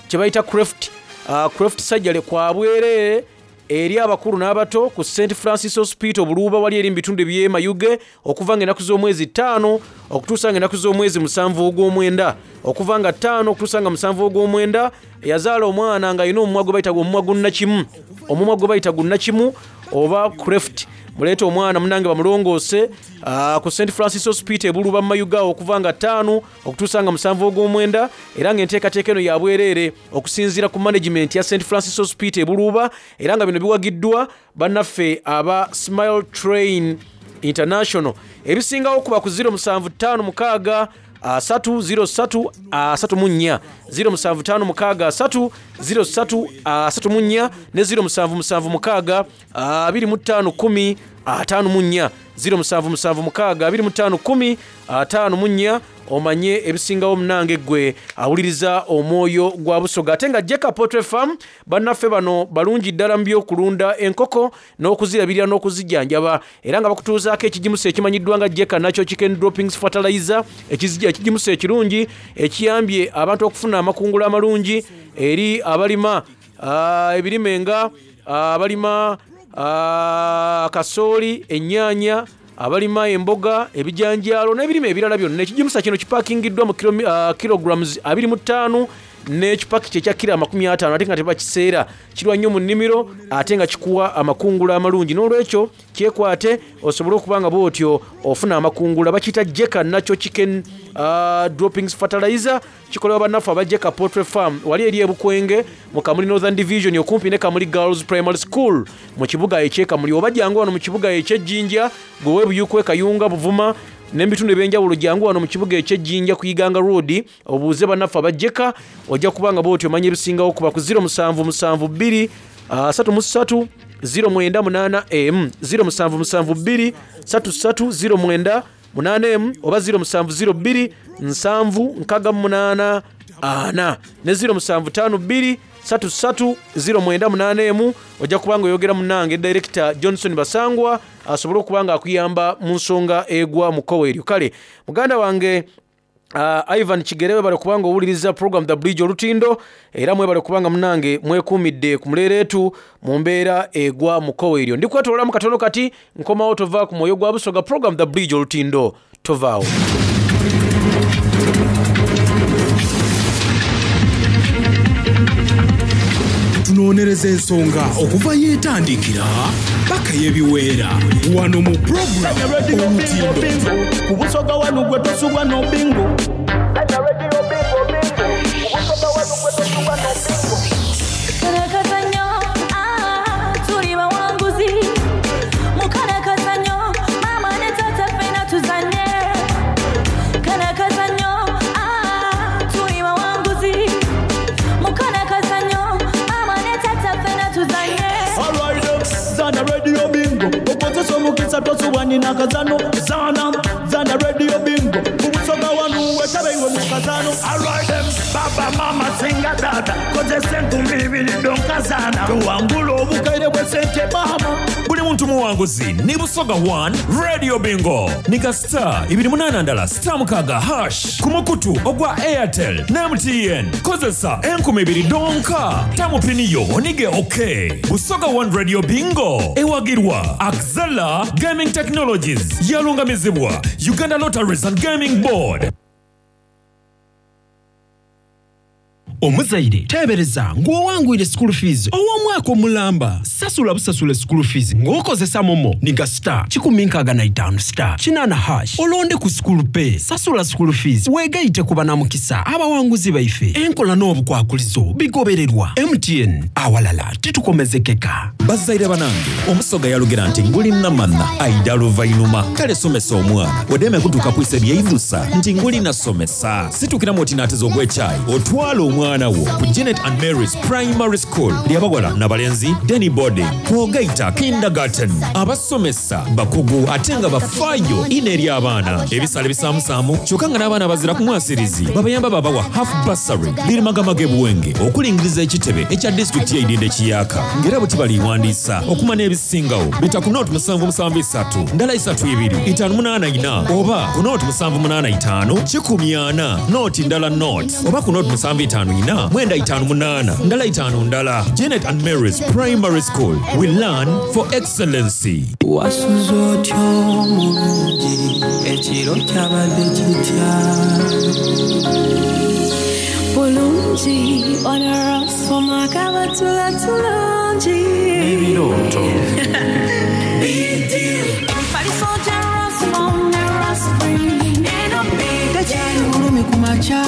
kye bayita craft uh, craft surgery kwa bwereere eri abakulu n'abato ku st francis hospital buluuba wali eri mu bitundu eby'e mayuge okuva nga ennaku z'omwezi ttaano okutuusa nga ennaku z'omwezi musanvu ogw'omwenda okuva nga ttaano okutuusa nga musanvu ogw'omwenda yazaala omwana ng'alina omumwa gwe bayita omumwa gunnakimu omumwa gwe bayita gunnakimu oba craft muleete omwana munange bamulongoose uh, ku st francis hospital ebuluba mu mayuga okuva nga ttaano okutuusa nga musanvu ogw'omwenda era ng'enteekateeka eno ya bwereere okusinziira ku management ya st francis hospital ebuluuba era nga bino biwagiddwa bannaffe aba smile train international ebisingawo kuba ku 0756 3 03 34 0756 3 03 34 ne 0776 25 10 54 0776 25 10 54 omanye ebisingawo munange ggwe awuliriza omwoyo gwa busoga ate nga jeka potre farm bannaffe bano balungi ddala mu byokulunda enkoko n'okuzirabirira n'okuzijjanjaba era nga bakutuuzaako ekigimusa ekimanyiddwa nga jeka nakyo chicken droppings fertilizer ekigimusa ekirungi ekiyambye abantu okufuna amakungula amalungi eri abalima uh, ebirime nga ah, abalima uh, kasooli ennyaanya abalima emboga ebijanjaalo n'ebirime ebirala byonna ekigimusa kino kipakingiddwa mu kilograms 25 n'ekipakiti ekya kiro 50 ate nga tebakiseera kirwa nnyo mu nnimiro ate nga kikuwa amakungula amalungi n'olwekyo kyekwate osobole okuba nga bwotyo ofuna amakungula bakiyita jeka nakyo chicken Droppings Fertilizer kikolebwa bannaffe aba Jeka Poultry Farm wali eri e Bukwenge mu Kamuli Northern Division okumpi ne Kamuli Girls Primary School mu kibuga eky'e Kamuli oba jangu wano mu kibuga eky'e Jinja gwe ow'e Buyikwe, Kayunga, Buvuma n'ebitundu eby'enjawulo jangu wano mu kibuga eky'e Jinja ku Iganga Road obuuze bannaffe aba Jeka ojja kuba nga bw'otyo omanya ebisingawo kuba ku 0772 33 098 emu 0772 33 09 8 emu oba 0702 7 68 4 ne 0752 33 09 8 emu ojja kuba nga oyogera munnange Director Johnson Basangwa asobole okuba nga akuyamba mu nsonga egwa mu kkowe eryo. Kale muganda wange Ivan Kigere webale kubanga owuliriza program The Bridge Olutindo era mwebale kubanga munange mwekuumidde ku muleeretu mu mbeera egwa mu kkowe eryo. Ndi kwetoololamu katono kati nkomawo tova ku mwoyo gwa Busoga program The Bridge Olutindo tovaawo. Tunoonyereza ensonga okuva yeetandikira paka yebiweera wano mu program Olutindo. Ku Busoga wano gwe tosubwa no bingo. Kano ah, tuli bawanguzi. Mu kano kazannyo, maama ne taata ffenna tuzannye. Kano kazannyo, ah, tuli bawanguzi. Mu kano kazannyo, maama ne taata ffenna tuzannye. Alright, zana radio bingo. Okozesa omukisa tosubwa nina kazano. Zana, zana radio bingo. Ku Busoga wano wetabe iwe mu kazano. Alright them, baba mama singa tata kozesa enkumi ibiri donkazana Tuwangula obukaire bw'essente maama. Buli muntu muwanguzi ni Busoga 1 Radio Bingo nika star 28 ndala star 6 hash ku mukutu ogwa Airtel ne MTN kozesa enkumi ibiri donka tamu pini yo onige ok. Busoga 1 Radio Bingo ewagirwa Axela Gaming Technologies yalungamizibwa Uganda Lotteries and Gaming Board. Omuzaire teebereza ng'owangwire school fees ow'omwaka omulamba sasula busasule school fees ng'okozesa momo niga star 165 star 8 hash olonde ku school pay sasula school fees weegayite ku banamukisa abawanguzi baife enkola n'obukwakulizo bigobererwa MTN awalala titukomezekeka. Bazaire banange omusoga yalugera nti nguli namana aida luvainuma kale somesa omwana odeme kutuuka kwisa ebyeidusa nti nguli nasomesa situkiramu oti naateza ogw'ekyayi otwala omwana wo ku Janet and Mary's Primary School lyabawala n'abalenzi Denny Boarding kwogaita kindergarten abasomesa bakugu ate nga bafaayo ino eri abaana ebisale bisaamusaamu kyokka nga n'abaana bazira ku mwasirizi babayamba babawa half bursary birimagamaga ebuwenge okulingiriza ekitebe ekya disitulikiti y'eidinda ekiyaka ng'era bwe kibaliwandiisa okuma n'ebisingawo bita ku nooti 773 ndala 32 584 oba ku nooti 785 14 nooti ndala nooti oba ku nooti 754 958 ndala 5 ndala. Janet and Mary's Primary School, we learn for excellency. Wasuze otyo mulungi ekiro kyabadde kitya Bulungi onarasoma kabatula tulungi ebirooto Emifaliso gya Rasmom ne Raspring eno tekyali bulumi ku makya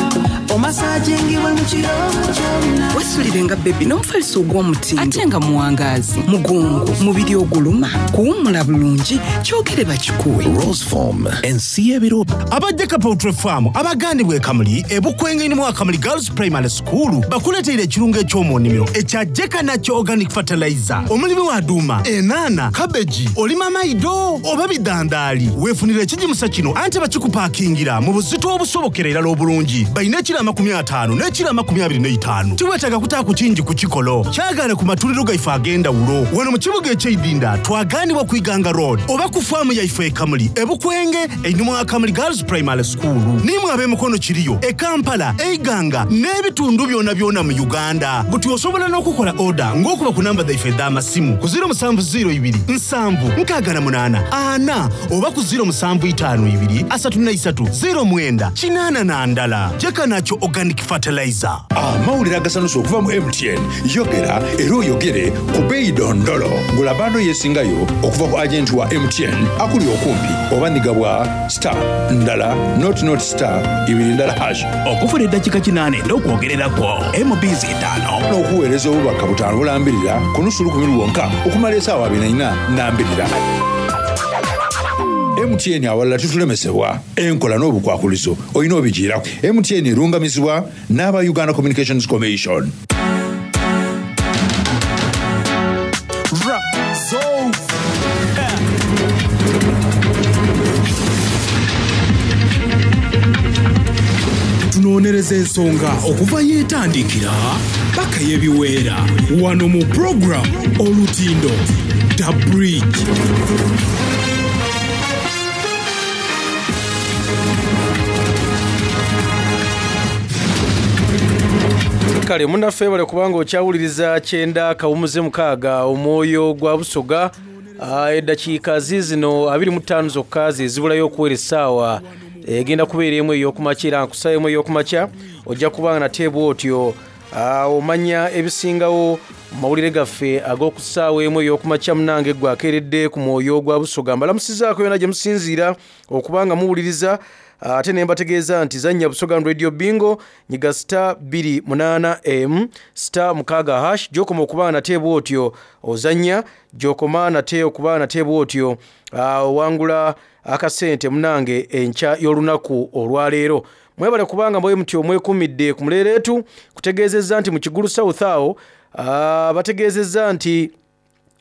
omasajingibwe mu kiro kyonna Wesulire nga bebi n'omufaliso ogw'omutindo ate nga muwangaazi mugongo mubiri oguluma kuwummula bulungi kyogere bakikuwe. Roseform ensi y'ebiro. Abajjeka Poultry Farm abagandibwa e Kamuli ebukwenge mu Akamuli Girls Primary School bakuleteire ekirungo eky'omu nnimiro ekya Jeka Nakyo Organic Fertilizer. Omulimi wa duuma, enaana, kabeji, olima maido oba bidandaali weefunira ekigimusa kino anti bakikupaakingira mu buzito obusobokera irala obulungi. Balina ekiro 50 n'ekiro 25. Tiweetaaga kutaaku kingi ku kikolo kyagaane ku matuliro gaife ag'endawulo wano mu kibuga eky'eidinda twagaanibwa ku Iganga Road oba ku faamu yaife e Kamuli ebukwenge einhuma wa Kamuli Girls Primary School. Nimwe ab'emikono kiriyo e Kampala, Eiganga n'ebitundu byona byona mu Uganda. Buti osobola n'okukola oda ng'okuba ku namba zaife edh'amasimu ku 0702 768 4 oba ku 0752 33 09 8 na ndala. Jeka Nakyo Organic Fertilizer. Amawulire agasanusa okuva mu MTN Yogera era oyogere ku beeyi dondolo. Gula bando yesingayo okuva ku agenti wa MTN akuli okumpi oba nhiga bwa star ndala nought nought star ibiri ndala hash. Okufuna eddakiika kinaana edh'okwogerera kwo MBs itaano. N'okuweereza obubaka butaano bulambirira ku nusu lukumi lwonka okumala esaawa abiri na ina nambirira. MTN awalala titulemesebwa. Enkola n'obukwakulizo olina obijiiraku. MTN erungamizibwa n'aba Uganda Communications Commission. Tunonereza ensonga okuva yetandikira paka yebiweera wano mu program Olutindo The Bridge. Kale munaffe webale kubanga okyawuliriza kyenda kawumuze mukaaga omwoyo gwa Busoga. Ah, eddakiika ziizino 25 zokka ze zibulayo okuwera essaawa egenda kubeera emu ey'okumakya era nkusaba emu ey'okumakya ojja kubanga nate bw'otyo ah, omanya ebisingawo mu mawulire gaffe ag'oku ssaawa emu ey'okumakya munange gwe akeeredde ku mwoyo gwa Busoga. Mbalamusizaako yona gye musinziira okuba nga muwuliriza ate ne mbategeeza nti zannya Busoga Radio Bingo nyiga star bbiri munaana m star mukaaga hash gy'okoma okuba nate bw'otyo ozannya gy'okoma nate okuba nate bw'otyo owangula akasente munange enkya y'olunaku olwaleero. Mwebale kubanga mwe mutyo mwekuumidde ku muleereetu kutegeezezza nti mu Kigulu South awo bategeezezza nti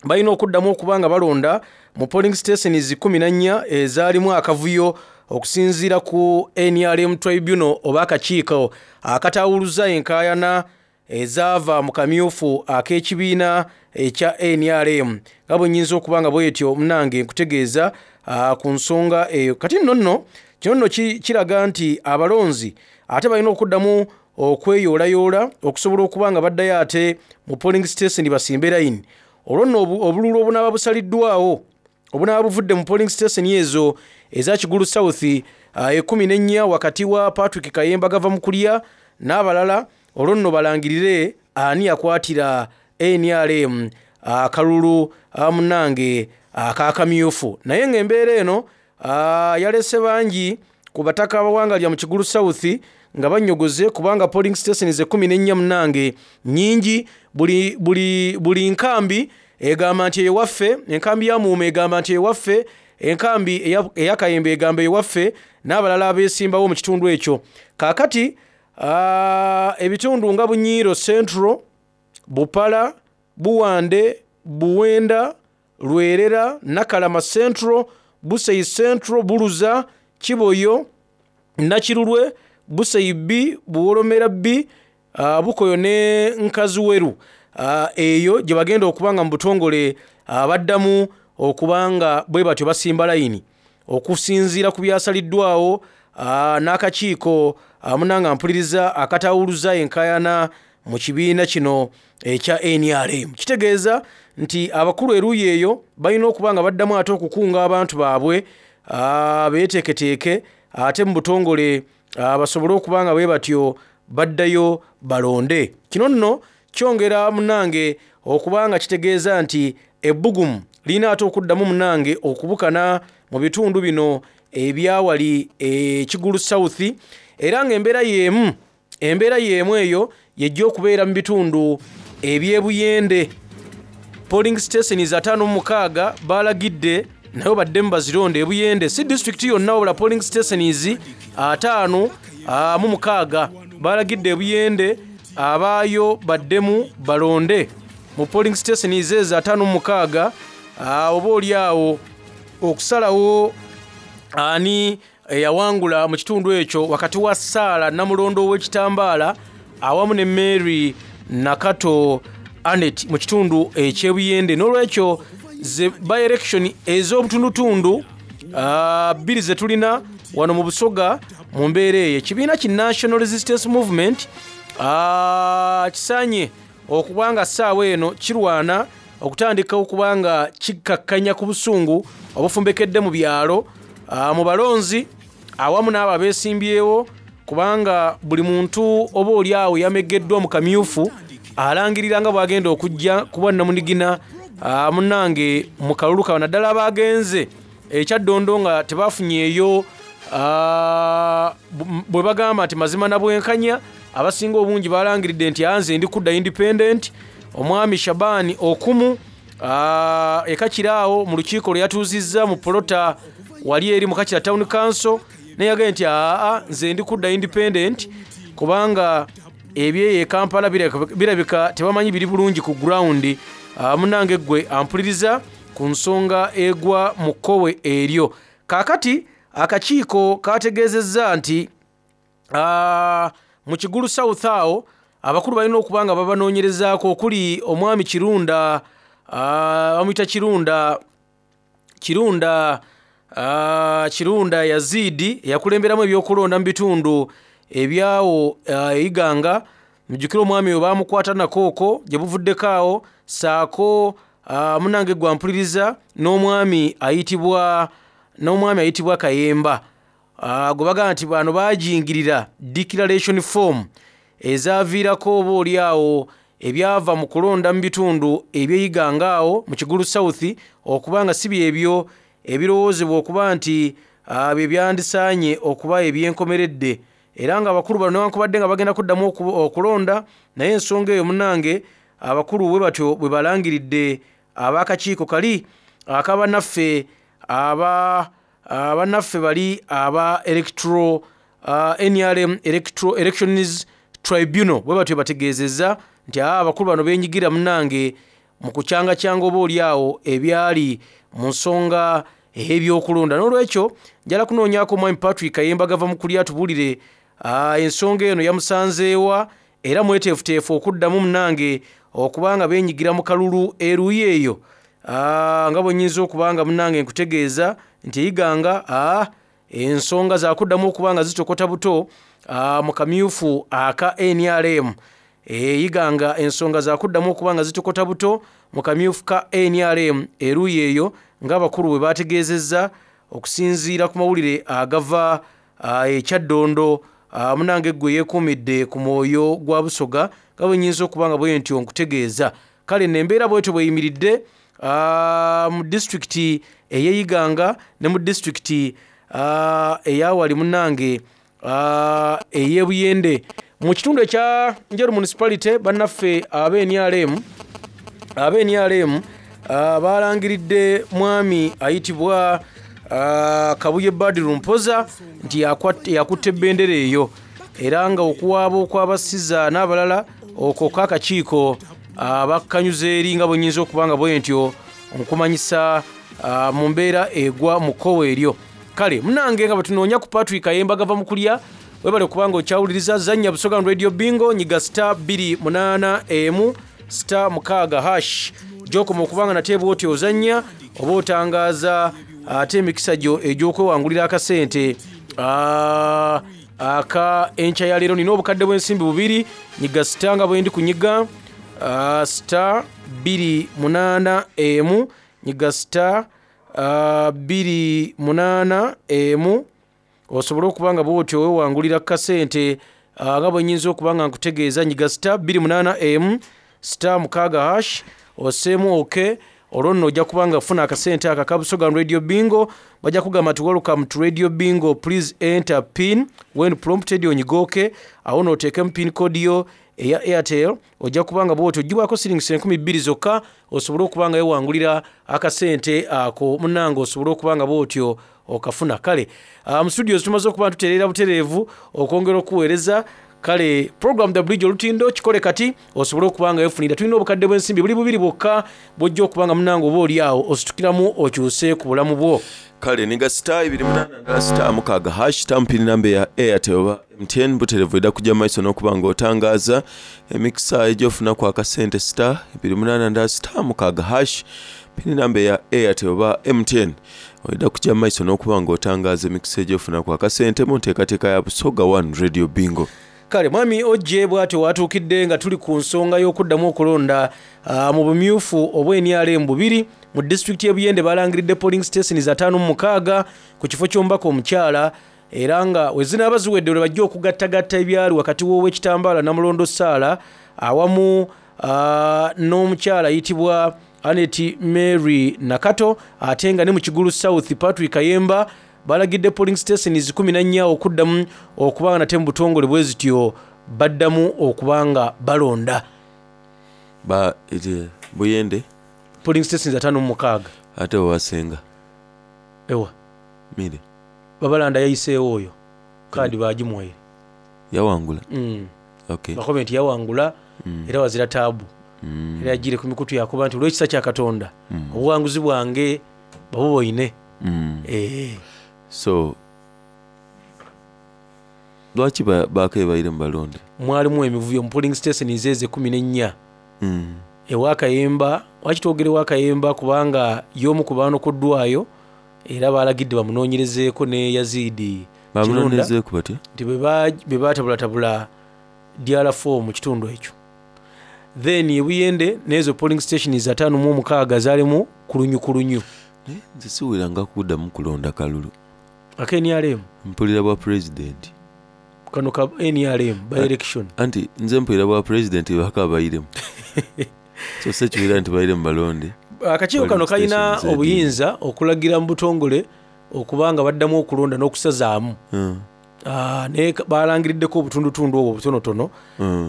balina okuddamu okuba nga balonda mu polling stations kkumi na nnya ezaalimu akavuyo okusinziira ku NRM Tribunal oba akakiiko akataawuluza enkaayana ezaava mu kamyufu ak'ekibiina ekya NRM. Nga bwe nnyinza okuba nga bwetyo munnange nkutegeeza ku nsonga eyo. Kati nno nno kino nno kiraga nti abalonzi ate balina okuddamu okweyoolayoola okusobola okuba nga baddayo ate mu polling station basimbe layini. Olwo nno obululu obunaaba busaliddwawo obunaaba buvudde mu polling station ezo eza Kigulu South ekkumi n'ennya wakati wa Patrick Kayemba Gavamukulya n'abalala, olwo nno balangirire ani yakwatira NRM akalulu munnange akakamyufu. Naye ng'embeera eno yalese bangi ku bataka abawangalira mu Kigulu South nga bannyogoze kubanga polling stations ekkumi n'ennya munnange nnyingi. Buli nkambi egamba nti ewaffe, enkambi ya Muuma egamba nti ewaffe, enkambi eya Kayembe egamba ewaffe, n'abalala abeesimbawo mu kitundu ekyo. Kaakati ebitundu nga Bunyiiro Central, Bupala, Buwande, Buwenda, Lwerera, Nakalama Central, Buseyi Central, Buluza, Kiboyo, Nakirulwe, Buseyi B, Buwolomera B, Bukoyo ne Nkaziweru. Eyo gye bagenda okuba nga mu butongole baddamu okuba nga bwe batyo basimba layini okusinziira ku byasaliddwawo n'akakiiko munanga mpuliriza akatawuluza enkaayana mu kibiina kino ekya NRM. Kitegeeza nti abakulu eruuyi eyo balina okuba nga baddamu ate okukunga abantu baabwe beeteeketeeke ate mu butongole basobole okuba nga bwe batyo baddayo balonde. Kino nno kyongera munnange okuba nga kitegeeza nti ebbugumu lirina ate okuddamu munnange okubukana mu bitundu bino ebyawali Kigulu South, era ng'embeera y'emu embeera y'emu eyo yejja okubeera mu bitundu eby'Ebuyende. Polling stations 56 balagidde nayo baddemu bazironde Ebuyende, si disitulikiti yonna wabula polling stations 56 balagidde Ebuyende abaayo baddemu balonde mu polling stations ezo 56, oba oli awo okusalawo ani eyawangula mu kitundu ekyo wakati wa Saala Namulondo ow'Ekitambaala awamu ne Mary Nakato Annet mu kitundu eky'Ebuyende. N'olwekyo ze by election ez'obutundutundu bbiri ze tulina wano mu Busoga mu mbeera eyo. Ekibiina ki National Resistance Movement kisaanye okuba nga ssaawa eno kirwana okutandika okuba nga kikkakkanya ku busungu obufumbekedde mu byalo, mu balonzi awamu n'abo abeesimbyewo Kubanga buli muntu oba oli agho eyamegeddwa mu kamyufu alangirira nga bw'agenda okujja ku bwannamunigina munnange mu kalulu kano naddala abaagenze e Kyaddondo nga tebafunyeeyo bwe bagamba nti mazima na bwenkanya. Abasinga obungi balangiridde nti nze ndi kudda independent. Omwami Shaban Okumu e Kakira awo mu lukiiko lwe yatuuzizza mu polota wali eri mu Kakira Town Council naye yagambye nti aa nze ndi kudda independent kubanga ebyeyo e Kampala birabika tebamanyi biri bulungi ku ground. Munnange ggwe ampuliriza ku nsonga egwa mu kkowe eryo. Kaakati akakiiko kaategeezezza nti mu Kigulu South awo abakulu balina okuba nga babanoonyerezaako okuli omwami Kirunda, bamuyita Kirunda, Kirunda, Kirunda Yazidi eyakulemberamu ebyokulonda mu bitundu ebyawo e Iganga. Mujjukire omwami oyo baamukwata nako okwo gye buvuddeko awo, ssaako munnange ggwe ampuliriza n'omwami ayitibwa, n'omwami ayitibwa Kayemba gwe bagamba nti bano baajingirira declaration form ezaaviirako oba oli awo ebyava mu kulonda mu bitundu eby'e Iganga awo mu Kigulu South okuba nga si byebyo ebirowoozebwa okuba nti bye byandisaanye okuba eby'enkomeredde. Era nga abakulu bano newankubadde nga bagenda kuddamu okulonda, naye ensonga eyo munnange abakulu bwe batyo bwe balangiridde ab'akakiiko kali ak'abannaffe aba bannaffe bali aba Electoral, NRM Electoral Elections Tribunal bwe batyo bategeezezza nti abakulu bano beenyigira munnange mu kucyangacyanga oba oli awo ebyali mu nsonga ey'ebyokulonda. N'olwekyo njala kunoonyaako omwami Patrick Kayemba gava mu kulya atubuulire ensonga eno yamusanzeewa era mweteefuteefu okuddamu munnange okuba nga beenyigira mu kalulu eruuyi eyo. Nga bwe nnyinza okuba nga munnange nkutegeeza nti e Iganga ensonga zaakuddamu okuba nga zitokota buto mu kamyufu aka NRM. E Iganga ensonga zaakuddamu okuba nga zitokota buto mu kamyufu ka NRM eruuyi eyo ng'abakulu bwe baategeezezza okusinziira ku mawulire agava e Kyaddondo. Munnange ggwe yeekuumidde ku mwoyo gwa Busoga nga bwe nnyinza okuba nga bwe ntyo nkutegeeza. Kale nno embeera bw'etyo bw'eyimiridde mu disitulikiti ey'e Iganga ne mu disitulikiti eyawali munnange ey'e Buyende. Mu kitundu ekya Njeru Municipality bannaffe ab'e NRM, ab'e NRM balangiridde mwami ayitibwa Kabuye Badru Mpoza nti yakutte bendera eyo, era nga okuwaaba okw'abasiza n'abalala okwo k'akakiiko bakkanyuza eri nga bwe nnyinza okuba nga bwe ntyo nkumanyisa mu mbeera egwa mu kkowe eryo. Kale munnange nga bwe tunoonya ku Patrick Kayemba gava mu kulya, webale kubanga okyawuliriza zannya Busoga Radio Bingo, nyiga star 281 star 6 hash gy'okoma okuba nga nate bw'otyo ozannya oba otangaaza ate emikisa gyo egy'okwewangulira akasente aka enkya ya leero. Nina obukadde bw'ensimbi bubiri, nyiga star nga bwe ndi kunyiga star 281 nyiga star 281 osobole okuba nga bw'otyo weewangulira kasente nga bwe nnyinza okuba nga nkutegeeza. Nyiga star 281 star 6 hash osseemu ok, olwo nno ojja kuba nga ofuna akasente ako aka Busoga Radio Bingo. Bajja kugamba nti welcome to Radio Bingo, please enter pin when prompted, onyiga ok awo n'oteekemu pin code yo eya Airtel. Ojja kuba nga bw'otyo oggyibwako siringisi 2000 zokka osobole okuba nga weewangulira akasente ako munnange, osobole okuba nga bw'otyo okafuna. Kale mu studios tumaze okuba tutereera butereevu okwongera okuweereza. Kale program The Bridge olutindo kikole kati osobole okuba nga weefunira. Tulina obukadde bw'ensimbi buli bubiri bwokka bw'ojja okuba nga munnange oba oli awo ositukiramu okyuse ku bulamu bwo. Kale niga star 28 star 6 hash tampini namba ya Airtel oba MTN butereevu edda kujja maiso n'okuba ng'otangaaza emikisa egy'ofunaku akasente star 28 star 6 hash pini namba ya Airtel oba MTN oyidda kujja maiso n'okuba ng'otangaaza emikisa egy'ofunaku akasente mu nteekateeka ya Busoga One Radio Bingo. Kale mwami Ojje bw'atyo watuukidde nga tuli ku nsonga y'okuddamu okulonda mu bumyufu obw'e NRM bubiri mu disitulikiti y'e Buyende. Balangiridde polling stations 56 ku kifo ky'omubaka omukyala. Era nga wezinaaba ziwedde lwe bajja okugattagatta ebyali wakati w'Owekitambaala Namulondo Sarah awamu n'omukyala ayitibwa Annet Mary Nakato ate nga ne mu Kigulu South Patrick Kayemba balagidde polling stations 14 okuddamu okuba nga nate mu butongole bwezityo baddamu okuba nga balonda. Ba ete Buyende. Polling stations 56. Ate owasenga. Ewa. Mire. Babalanda yayiseewo oyo kaadi baagimuwaire. Yawangula? Okay. Bakobe nti yawangula era wazira taabu. Era yajiire ku mikutu yaakoba nti olw'ekisa kya Katonda obughanguzi bwange babuboine. Eeh. So lwaki bakebaire mu balonde? Mwalimu emivuyo mu polling stations ezo ekumi n'ennya. Ewa Kayemba, lwaki twogera ewa Kayemba kubanga y'omu ku baanokoddwayo era baalagidde bamunoonyerezeeko ne Yazid Kirunda Bamunoonyerezeeku batya? nti bwe baatabulatabula DR4 mu kitundu ekyo. Then e Buyende n'ezo polling stations 56 zaalimu kulunyukulunyu. Naye nze siwuliranga kuddamu kulonda kalulu. Aka nrm? Mpulira bwa pulezidenti. Kano ka nrm by election. Anti nze mpulira bwa pulezidenti bakabairemu. So sekiwulira nti bairemu balonde. Akakiiko kano kalina obuyinza okulagira mu butongole okuba nga baddamu okulonda n'okusazaamu. Naye balangiriddeko obutundutundu obwo obutonotono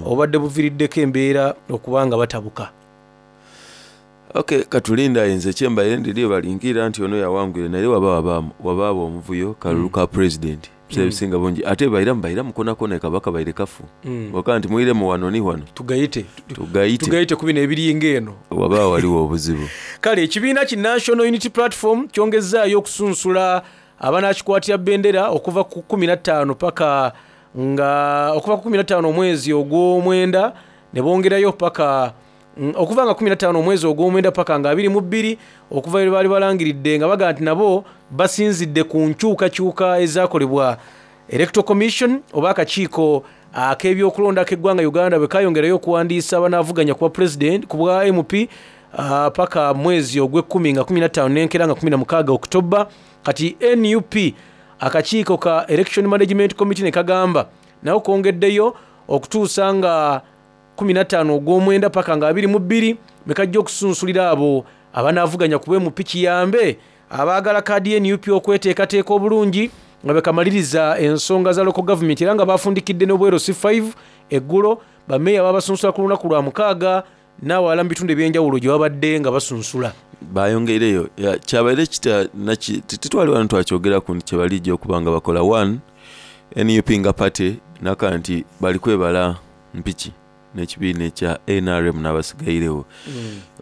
obubadde buviiriddeko embeera okuba nga batabuka. Ok katulinde aye nze kyembaire ndidhie balingiira nti ono yawangwire naye waba wabaagho omuvuyo kalulu ka president ebiseera ebisinga bungi ate bairamu bairamu konakona kaba kabaire kafu oka nti mwiremu wano ni wano Tugaite tugaite tugaite ku bino ebiringa eno. Waba ghaligho obuzibu. Kale ekibiina ki National Unity Platform kyongezzaayo okusunsula abanaakikwatira bendera okuva ku 15 paka nga okuva ku 15 omwezi ogw'omwenda ne bongerayo paka okuva nga 15 omwezi ogw'omwenda paka nga 22 okuva lwe baali balangiridde nga bagamba nti nabo basinzidde ku nkyukakyuka ezaakolebwa Electoral Commission oba akakiiko ak'ebyokulonda ak'eggwanga Uganda bwe kayongerayo okuwandiisa abanaavuganya ku bwa Pulezidenti ku bwa MP paka mwezi ogw'ekkumi nga 15 n'enkeera nga 16 October. Kati nup akakiiko ka Election Management Committee ne kagamba nako kongeddeyo okutuusa nga 15 ogw'omwenda paka nga 22 bwe kajja okusunsulira abo abanaavuganya ku bwa MP kiyambe abaagala kaadi ya nup okweteekateeka obulungi nga bwe kamaliriza ensonga za local government era nga baafundikidde n'obweru C5 eggulo bameeya babasunsula ku lunaku lwa mukaaga n'awalala mu bitundu eby'enjawulo gye babadde nga basunsula. Bayongeireyo ya, kyabaire kita naki titwali wano twakyogeraku nti kyebalija okuba nga bakola one nup nga party naka nti bali kwebala mpiki n'ekibiina ekya nrm n'abasigairegho.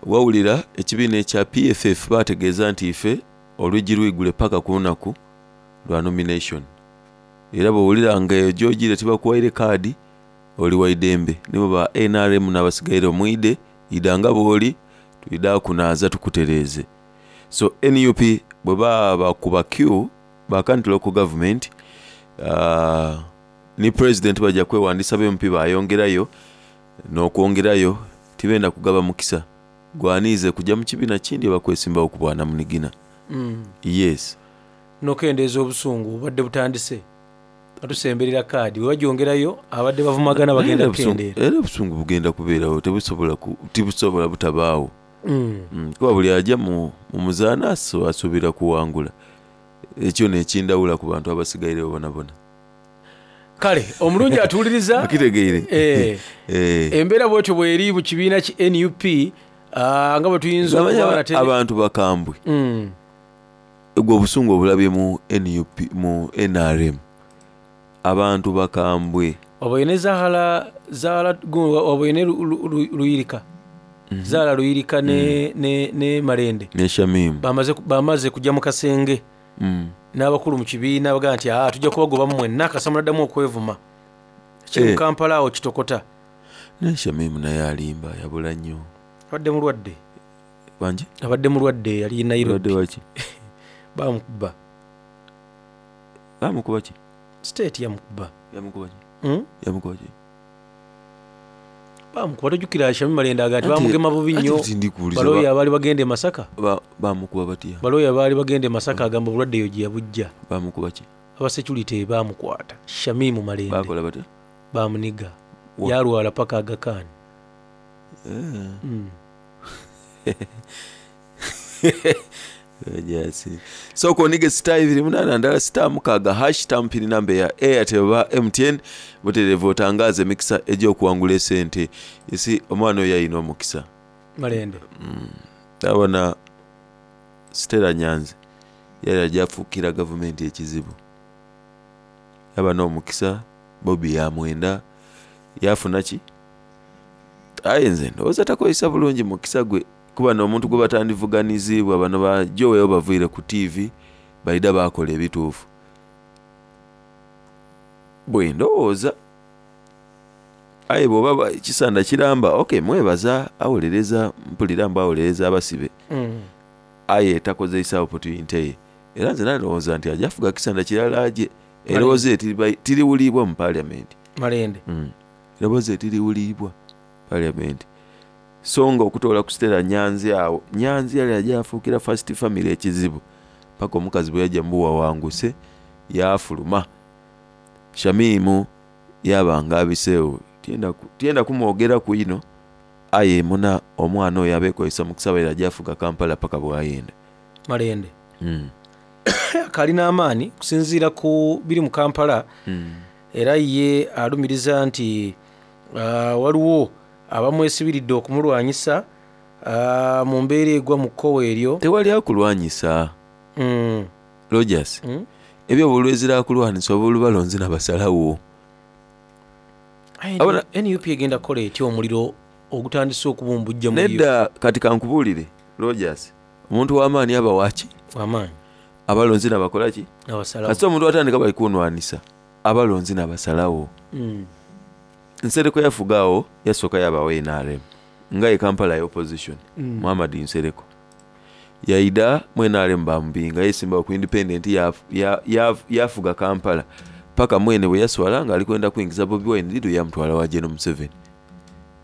Wawulira ekibiina ekya PFF bategeeza nti ife olwigi lwigule paka ku lunaku lwa nomination. Era bwowulira nga eyo gy'ogiire tibakuwaire kaadi oli wa idembe. Nibo ba nrm n'abasigairegho mwidhe idha nga bw'oli twidha kunaaza tukutereeze. So nup bwe babakuba queue baka nti local government ni president baja kwewandisa ba MP bayongerayo n'okwongerayo tibenda kugaba mukisa gwaniize kuja mu kibiina kindi oba kwesimbawo ku bwanamunigina. Yes. N'okendeeza obusungu obubadde butandise nga tusemberera kaadi bwe bagyongerayo abadde bavumagana bagenda kukendeera. Era obusungu bugenda kubeerawo tebusobola tibusobola butabaagho. Kuba buli aja mu muzaano asuubira kuwangula. Ekyo n'ekindawula ku bantu abasigairegho bonabona. Kale omulungi atuwuliriza Okitegeire? Embeera bwetyo bweri mu kibiina ki nup nga bwe tuyinza okuba nate Abantu bakambwe. Gwe obusungu obulabye mu nup mu nrm abantu bakambwe. Waboine Zahara Zahara waboine Luyirika Zahara Luyirika ne ne ne Malende ne Shamim bamaze bamaze kujja mu kasenge n'abakulu mu kibiina bagamba nti aa tujja kubagobamu mwenna kasita munaddamu okwevuma. Kiri mu Kampala awo kitokota. Naye Shamim naye alimba yabula nnyo. Abadde mulwadde. Wangi? Abadde mulwadde yali e Nairobi. Mulwadde waki? Bamukuba. Bamukuba ki? State yamukuba. Yamukuba ki? Yamukuba ki? Bamukuba tojjukira Shamim Malende agamba nti bamugema bubi nnyo. Anti ndikuwuliza Balooya abaali bagenda e Masaka. Bamukuba batya? Balooya abaali bagenda e Masaka agamba obulwadde eyo gye yabujja. Bamukuba ki? Abasecurite baamukwata, Shamim Malende. Baakola batya? Baamuniga Wa? yaalwala paka Aga Khan. Eh. Rogers. Sooka onige star 28 ndala star 6 hash tampini namba ya Airtel oba MTN butereevu otangaaze emikisa egy'okuwangula esente. Isi omwana oyo ayina omukisa. Malende. Ndabona Stella Nyanzi yali ajja afuukira gavumenti ekizibu. Yaba n'omukisa Bobi yamwenda yafuna ki? Aye nze ndowooza takozesa bulungi mukisa gwe kuba n'omuntu gwe batandivuganiziibwa bano ba Joel baviire ku TV baida baakola ebituufu. Bwe ndowooza aye bw'oba kisanda kiramba okay mwebaza awolereza mpulira mbu awolereza abasibe aye takozeisa opportunity ye era nze nalowooza nti ajja afuga kisanda kirala aje erowooza ye tiriwuliibwa mu parliament. Malende. Erowooza ye tiriwuliibwa parliament so nga okutoola ku Stella Nyanzi awo Nyanzi yali ajja afuukira first family ekizibu paka omukazi bwe yajja mubuwawanguse yafuluma. Shamimu yaba nga abiseewo tyenda kumwogeraku ino aye muna omwana oyo abeekozesa mukisa baire ajja afuga Kampala paka bwayenda. Malende. Kalina amaanyi kusinziira ku biri mu Kampala. Era ye alumiriza nti waliwo abamwesibiridde okumulwanyisa mu mbeera egwa mu kkowe eryo. Tewali akulwanyisa. Rogers. Ebyo obulwezira akulwanyisa oba olubalonzi nabasalawo. Aye, NUP egenda kukola etya omuliro ogutandise okubumbujja mu yo? Nedda kati kankubuulire Rogers, omuntu w'amaanyi aba waki? W'amaanyi. Abalonzi nabakola ki? Nabasalawo. Kasita omuntu atandika bali kunwanisa abalonzi nabasalawo. Nsereko yafugaawo yasooka yabawo NRM nga ye Kampala ya opposition. Muhammad Nsereko yaida mu NRM bamubinga yesimbawo ku independent yafuga Kampala paka mwene bwe yaswala ng'ali kwenda kuyingiza Bobi Wine lido yamutwala wa General Museveni.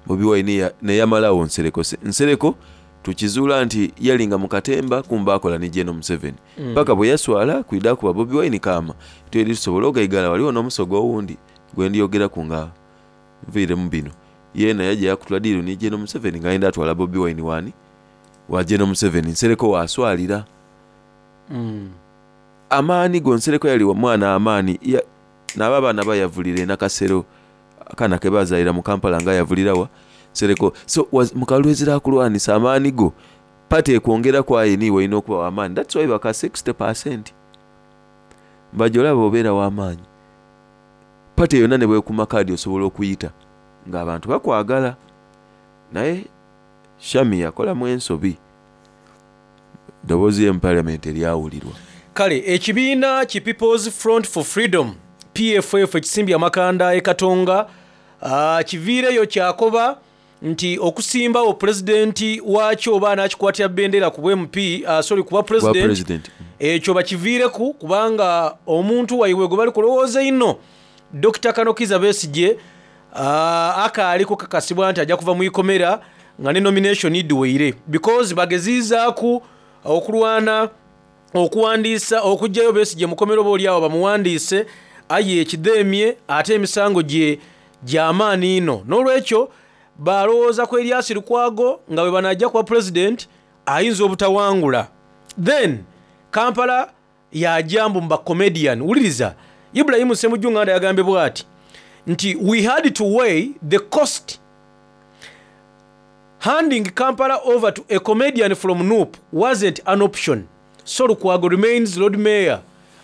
Bobi Wine neyamalawo Nsereko. Nsereko tukizuula nti yalinga mu katemba kumba akola ne General Museveni. Paka bwe yaswala kwida kuba Bobi Wine kama tweri tusobola ogaigala waliwo n'omusogo owundi gwe ndiyogeraku nga nviire mu bino. Yeena yajja yakutula diiru ne General Museveni ng'ayenda atwala Bobi Wine wani wa General Museveni. Nsereko waswalira. Amaani go Nsereko yali wa mwana amaani n'aba abaana bayavulira e Nakasero akaana ke baazaalira mu Kampala nga yavulira wa Nsereko. So mu kalwezera akulwanisa amaani go pate ekwongera ku aye niiwe olina okuba w'amaanyi. That's why baka 60% mbajja olaba obeera w'amaanyi. Pate yonna ne bwekuma kaadi osobola okuyita ng'abantu bakwagala. Naye Shami yakolamu ensobi. Eddoboozi lye mu parliament eryawulirwa. Kale ekibiina ki People's Front for Freedom PFF ekisimbye amakanda e Katonga kiviireyo kyakoba nti okusimbawo pulezidenti waakyo oba anaakikwatira bendera ku bwa MP, sorry, ku bwa Bwa president, president. Ekyo bakiviireku kubanga omuntu waibwe gwe bali kulowooza ino Dr. Kano Kizza Besigye akaali kukakasibwa nti ajja kuva mu ikomera nga ne nomination idiweire because bageziizaaku okulwana okuwandiisa okuggyayo Besigye mukomera oba oliawo bamuwandiise aye ekidheemye ate emisango gye gy'amaanyi ino. N'olwekyo balowooza ku Erias Lukwago nga bwe banajja kuba president ayinza obutawangula. Then Kampala yajja mbu mba comedian. Wuliriza Ibrahim Ssemujju Nganda yagambye bw'ati nti we had to weigh the cost handing Kampala over to a comedian from NUP wasn't an option. So Lukwago remains Lord Mayor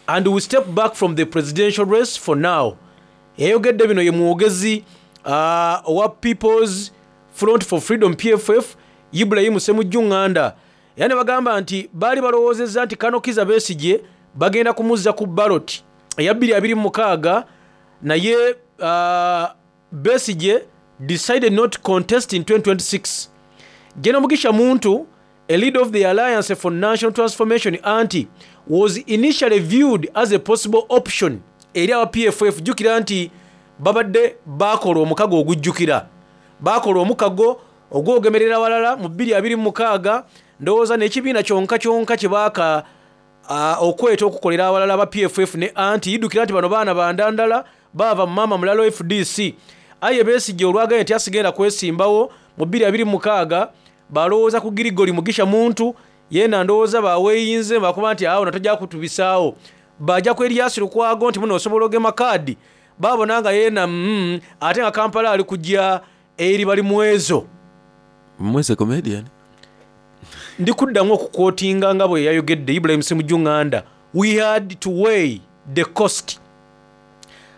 and we step back from the presidential race for now. Yayogedde bino ye mwogezi owa People's Front for Freedom PFF Ibrahim Ssemujju Nganda. Era ne bagamba nti baali balowoozezza nti Kano Kizza Besigye bagenda kumuzza ku ballot eya bbiri abiri mu mukaaga naye Besigye decided not to contest in 2026. General Mugisha Muntu, a leader of the Alliance for National Transformation anti, was initially viewed as a possible option eri aba PFF. Jjukira nti babadde baakola omukago ogujjukira, baakola omukago ogwogemerera walala mu bbiri abiri mu mukaaga. Ndowooza n'ekibiina kyonka kyonka kye baaka Okweta okukolera awalala aba PFF ne anti idhukira nti bano baana ba nda ndala baava mu maama mulala owa fdc. Aye Besigye olwagaine nti asigenda kwesimbawo mu 2026 balowooza ku Gregory Mugisha Muntu yeena ndowooza baweyinze bakoba nti agho toja kutubisaagho. Baaja ku Erias Lukwago nti muno osobola ogema kaadi baabona nga yeena mm ate nga Kampala ali kuja eri Balimwezo. Mwese comedian. Ndi kuddamu okukwotinga nga bwe yayogedde Ibrahim Ssemujju Nganda, We had to weigh the cost.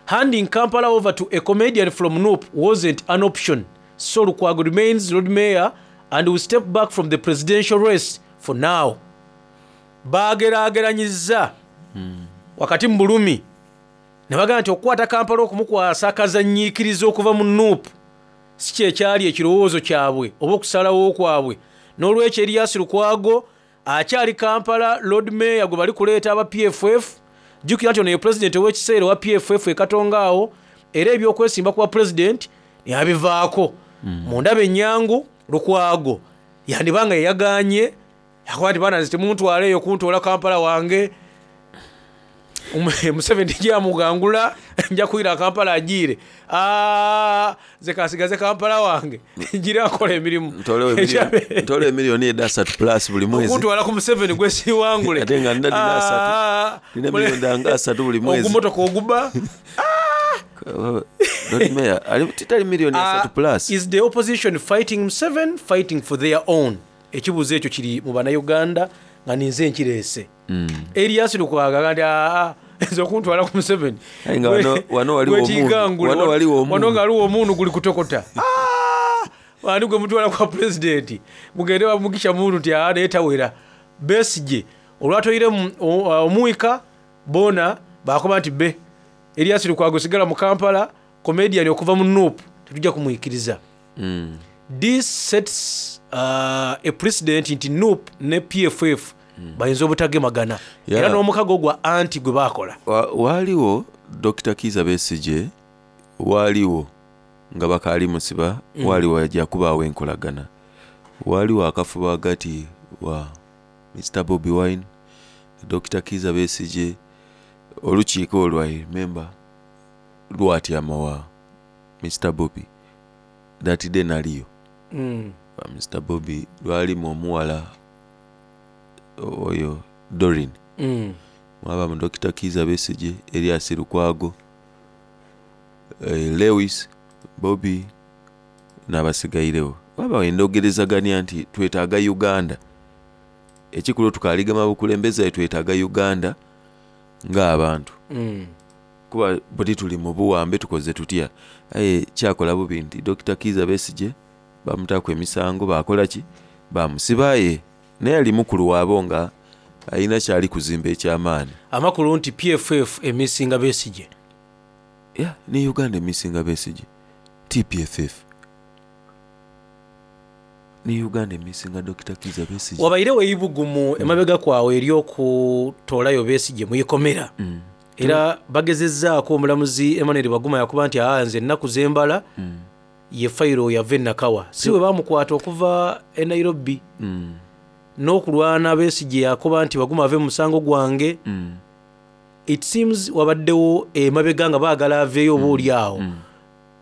Handing Kampala over to a comedian from Nup wasn't an option, so Lukwago remains Lord Mayor and will step back from the presidential race for now. Baageraageranyizza wakati mu bulumi ne bagamba nti okukwata Kampala okumukwasa akazannyiikirizi okuva mu Nup si kye kyali ekirowoozo kyabwe oba okusalawo kwabwe. N'olwekyo Erias Lukwago akyali Kampala Lord Mayor gwe bali kuleeta aba PFF. Jjukira nti ono ye pulezidenti ow'ekiseera owa PFF e Katonga awo era eby'okwesimba ku bwa pulezidenti yabivaako. Mu ndaba ennyangu Lukwago yandiba nga yeyagaanye yakoba nti baana nze temuntwala eyo kuntoola Kampala wange. Museveni gyamugangula nja kwira Kampala ajiire. Nze kansigaze Kampala wange ngira nkola emirimu. Ntole emiliyoni eda asatu plus buli mwezi. Okuntwala ku Museveni gwe siwangule. Ate nga nina dina asatu. Nina miliyoni danga asatu buli mwezi. Ogumotoka oguba. Lord Mayor, ali titali miliyoni asatu plus. Is the opposition fighting Museveni, fighting for their own? Ekibuuzo ekyo kiri mu bannayuganda nga ninze nkireese. Erias Lukwago agamba nti aa nze okuntwala ku Museveni. Aye nga wano waliwo omundu. Wano waliwo omundu. Wano nga waliwo omundu guli kutokota. Ani gwe mutwala kwa pulezidenti mugende bamugisha muntu nti aa naye tawera. Besigye olwatoire omuwika bona bakoba nti be Erias Lukwago sigala mu Kampala comedian okuva mu Nup tetujja kumwikiriza. This sets a precedent nti Nup ne PFF bayinza obutagemagana. Era n'omukago gwa anti gwe baakola. Waaliwo Dr. Kiiza Besigye waaliwo nga bakaali musiba waaliwo ajja kubaawo enkolagana. Waaliwo akafubo hagati wa Mr. Bobi Wine, Dr. Kiiza Besigye, olukiiko olwo I remember lwatyama wa Mr. Bobi. That day naliyo. Mr. Bobi lwalimu omuwala oyo Doreen. Mwaba mu Dr. Kiiza Besigye, Erias Lukwago, Lewis, Bobi n'abasigairewo. Waba endogerezaganya nti twetaaga Uganda. Ekikulu tukaligama bukulembeze twetaaga Uganda ng'abantu. Kuba buli tuli mu buwambe tukoze tutya. Aye kyakola bubi nti Dr. Kiiza Besigye bamutaku emisango bakola ki? Bamusibaye. Naye ali mukulu waabo nga alina kyali kuzimba ekyamaanyi. Amakulu nti PFF emisinga Besigye. Yeah, ne Uganda emisinga Besigye. TPFF. Ne Uganda emisinga Dr. Kiiza Besigye. Wabairewo eibugumu emabega kwawe ery'okutoolayo Besigye muyikomera. Era bagezezzaako omulamuzi Emmanuel Baguma yakuba nti aa nze ennaku z'embala ye fayiro yava e Nakawa. Si bwe bamukwata okuva e Nairobi. N'okulwana Besigye yakoba nti Baguma ave mu musango gwange. It seems wabaddewo emabega nga baagala aveeyo oba oli awo.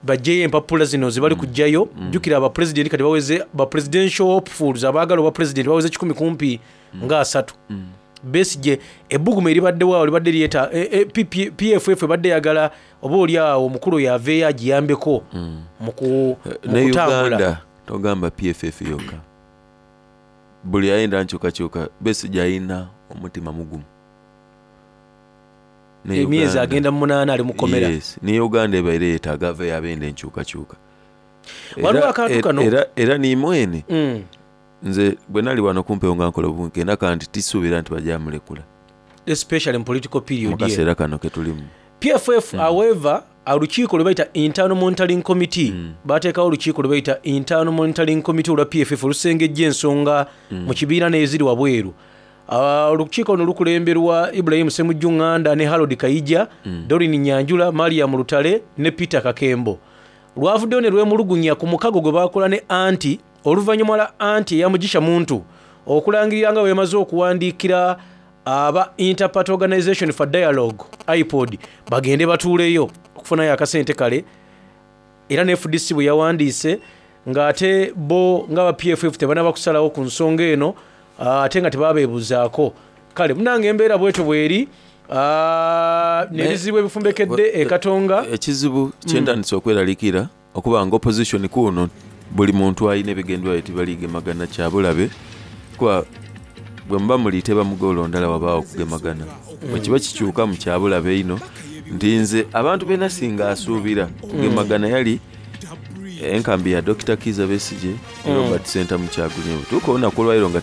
Bajjeyo empapula zino ze bali kujjayo. Jjukira abapulezidenti kati baweze ba presidential hopefuls abaagala obwa pulezidenti baweze 100 kumpi nga 3. Besigye ebbugumu eribaddewo awo libadde lyeta PFF ebadde eyagala oba oli awo omukulu oyo aveeyo agiyambeko mu Ne kutambula. Uganda togamba PFF yokka. Buli ayenda nkyukakyuka Besigye alina omutima mugumu. Emyezi agenda mu 8 ali mukomera. Yes, ne Uganda ebaire yeetaaga aveeyo abenda enkyukakyuka. Waliwo akantu kano. Era ni mwene. Nze bwe nali wano kumpewo nga nkola obunke ndaka nti tisuubira nti bajja mulekula. Especially in political period. Mu kaseera kano ke tulimu. PFF however olukiiko lwe bayita Internal Monitoring Committee bateekawo olukiiko lwe bayita Internal Monitoring Committee olwa PFF olusengejja ensonga mu kibiina n'eziri wabweru. Olukiiko luno lukulemberwa Ibrahim Ssemujju Nganda ne Harold Kaija, Doreen Nyanjula, Mariam Lutale ne Peter Kakembo. Lwavuddeyo ne lwemulugunya ku mukago gwe baakola ne anti oluvannyuma lwa anti eyamugisha muntu okulangirira nga bwe yamaze okuwandiikira Aba Inter-Party Organisation for Dialogue, IPOD, bagende batuuleyo okufunayo akasente kale era ne fdc bwe yawandiise nga ate bo nga aba PFF tebanaba kusalawo ku nsonga eno ate nga tebabeebuzaako. Kale munange embeera bwetyo bweri n'ebizibu ebifumbekedde e Katonga. Ekizibu kyentandise okweralikira okuba nga opposition kuno buli muntu alina ebigendererwa bye tibaligemagana kyabulabe kuba bwemuba muliteba mu goolo ndala wabaawo okugemagana bwekiba kikyukamu kyabulabe inho nti nze abantu benasinga asuubira kugemagana yali enkambi ya Dokita Kiiza Besigye ne Robert Ssentamu Kyagulanyi bwetuuka olunaku olwaleero nga.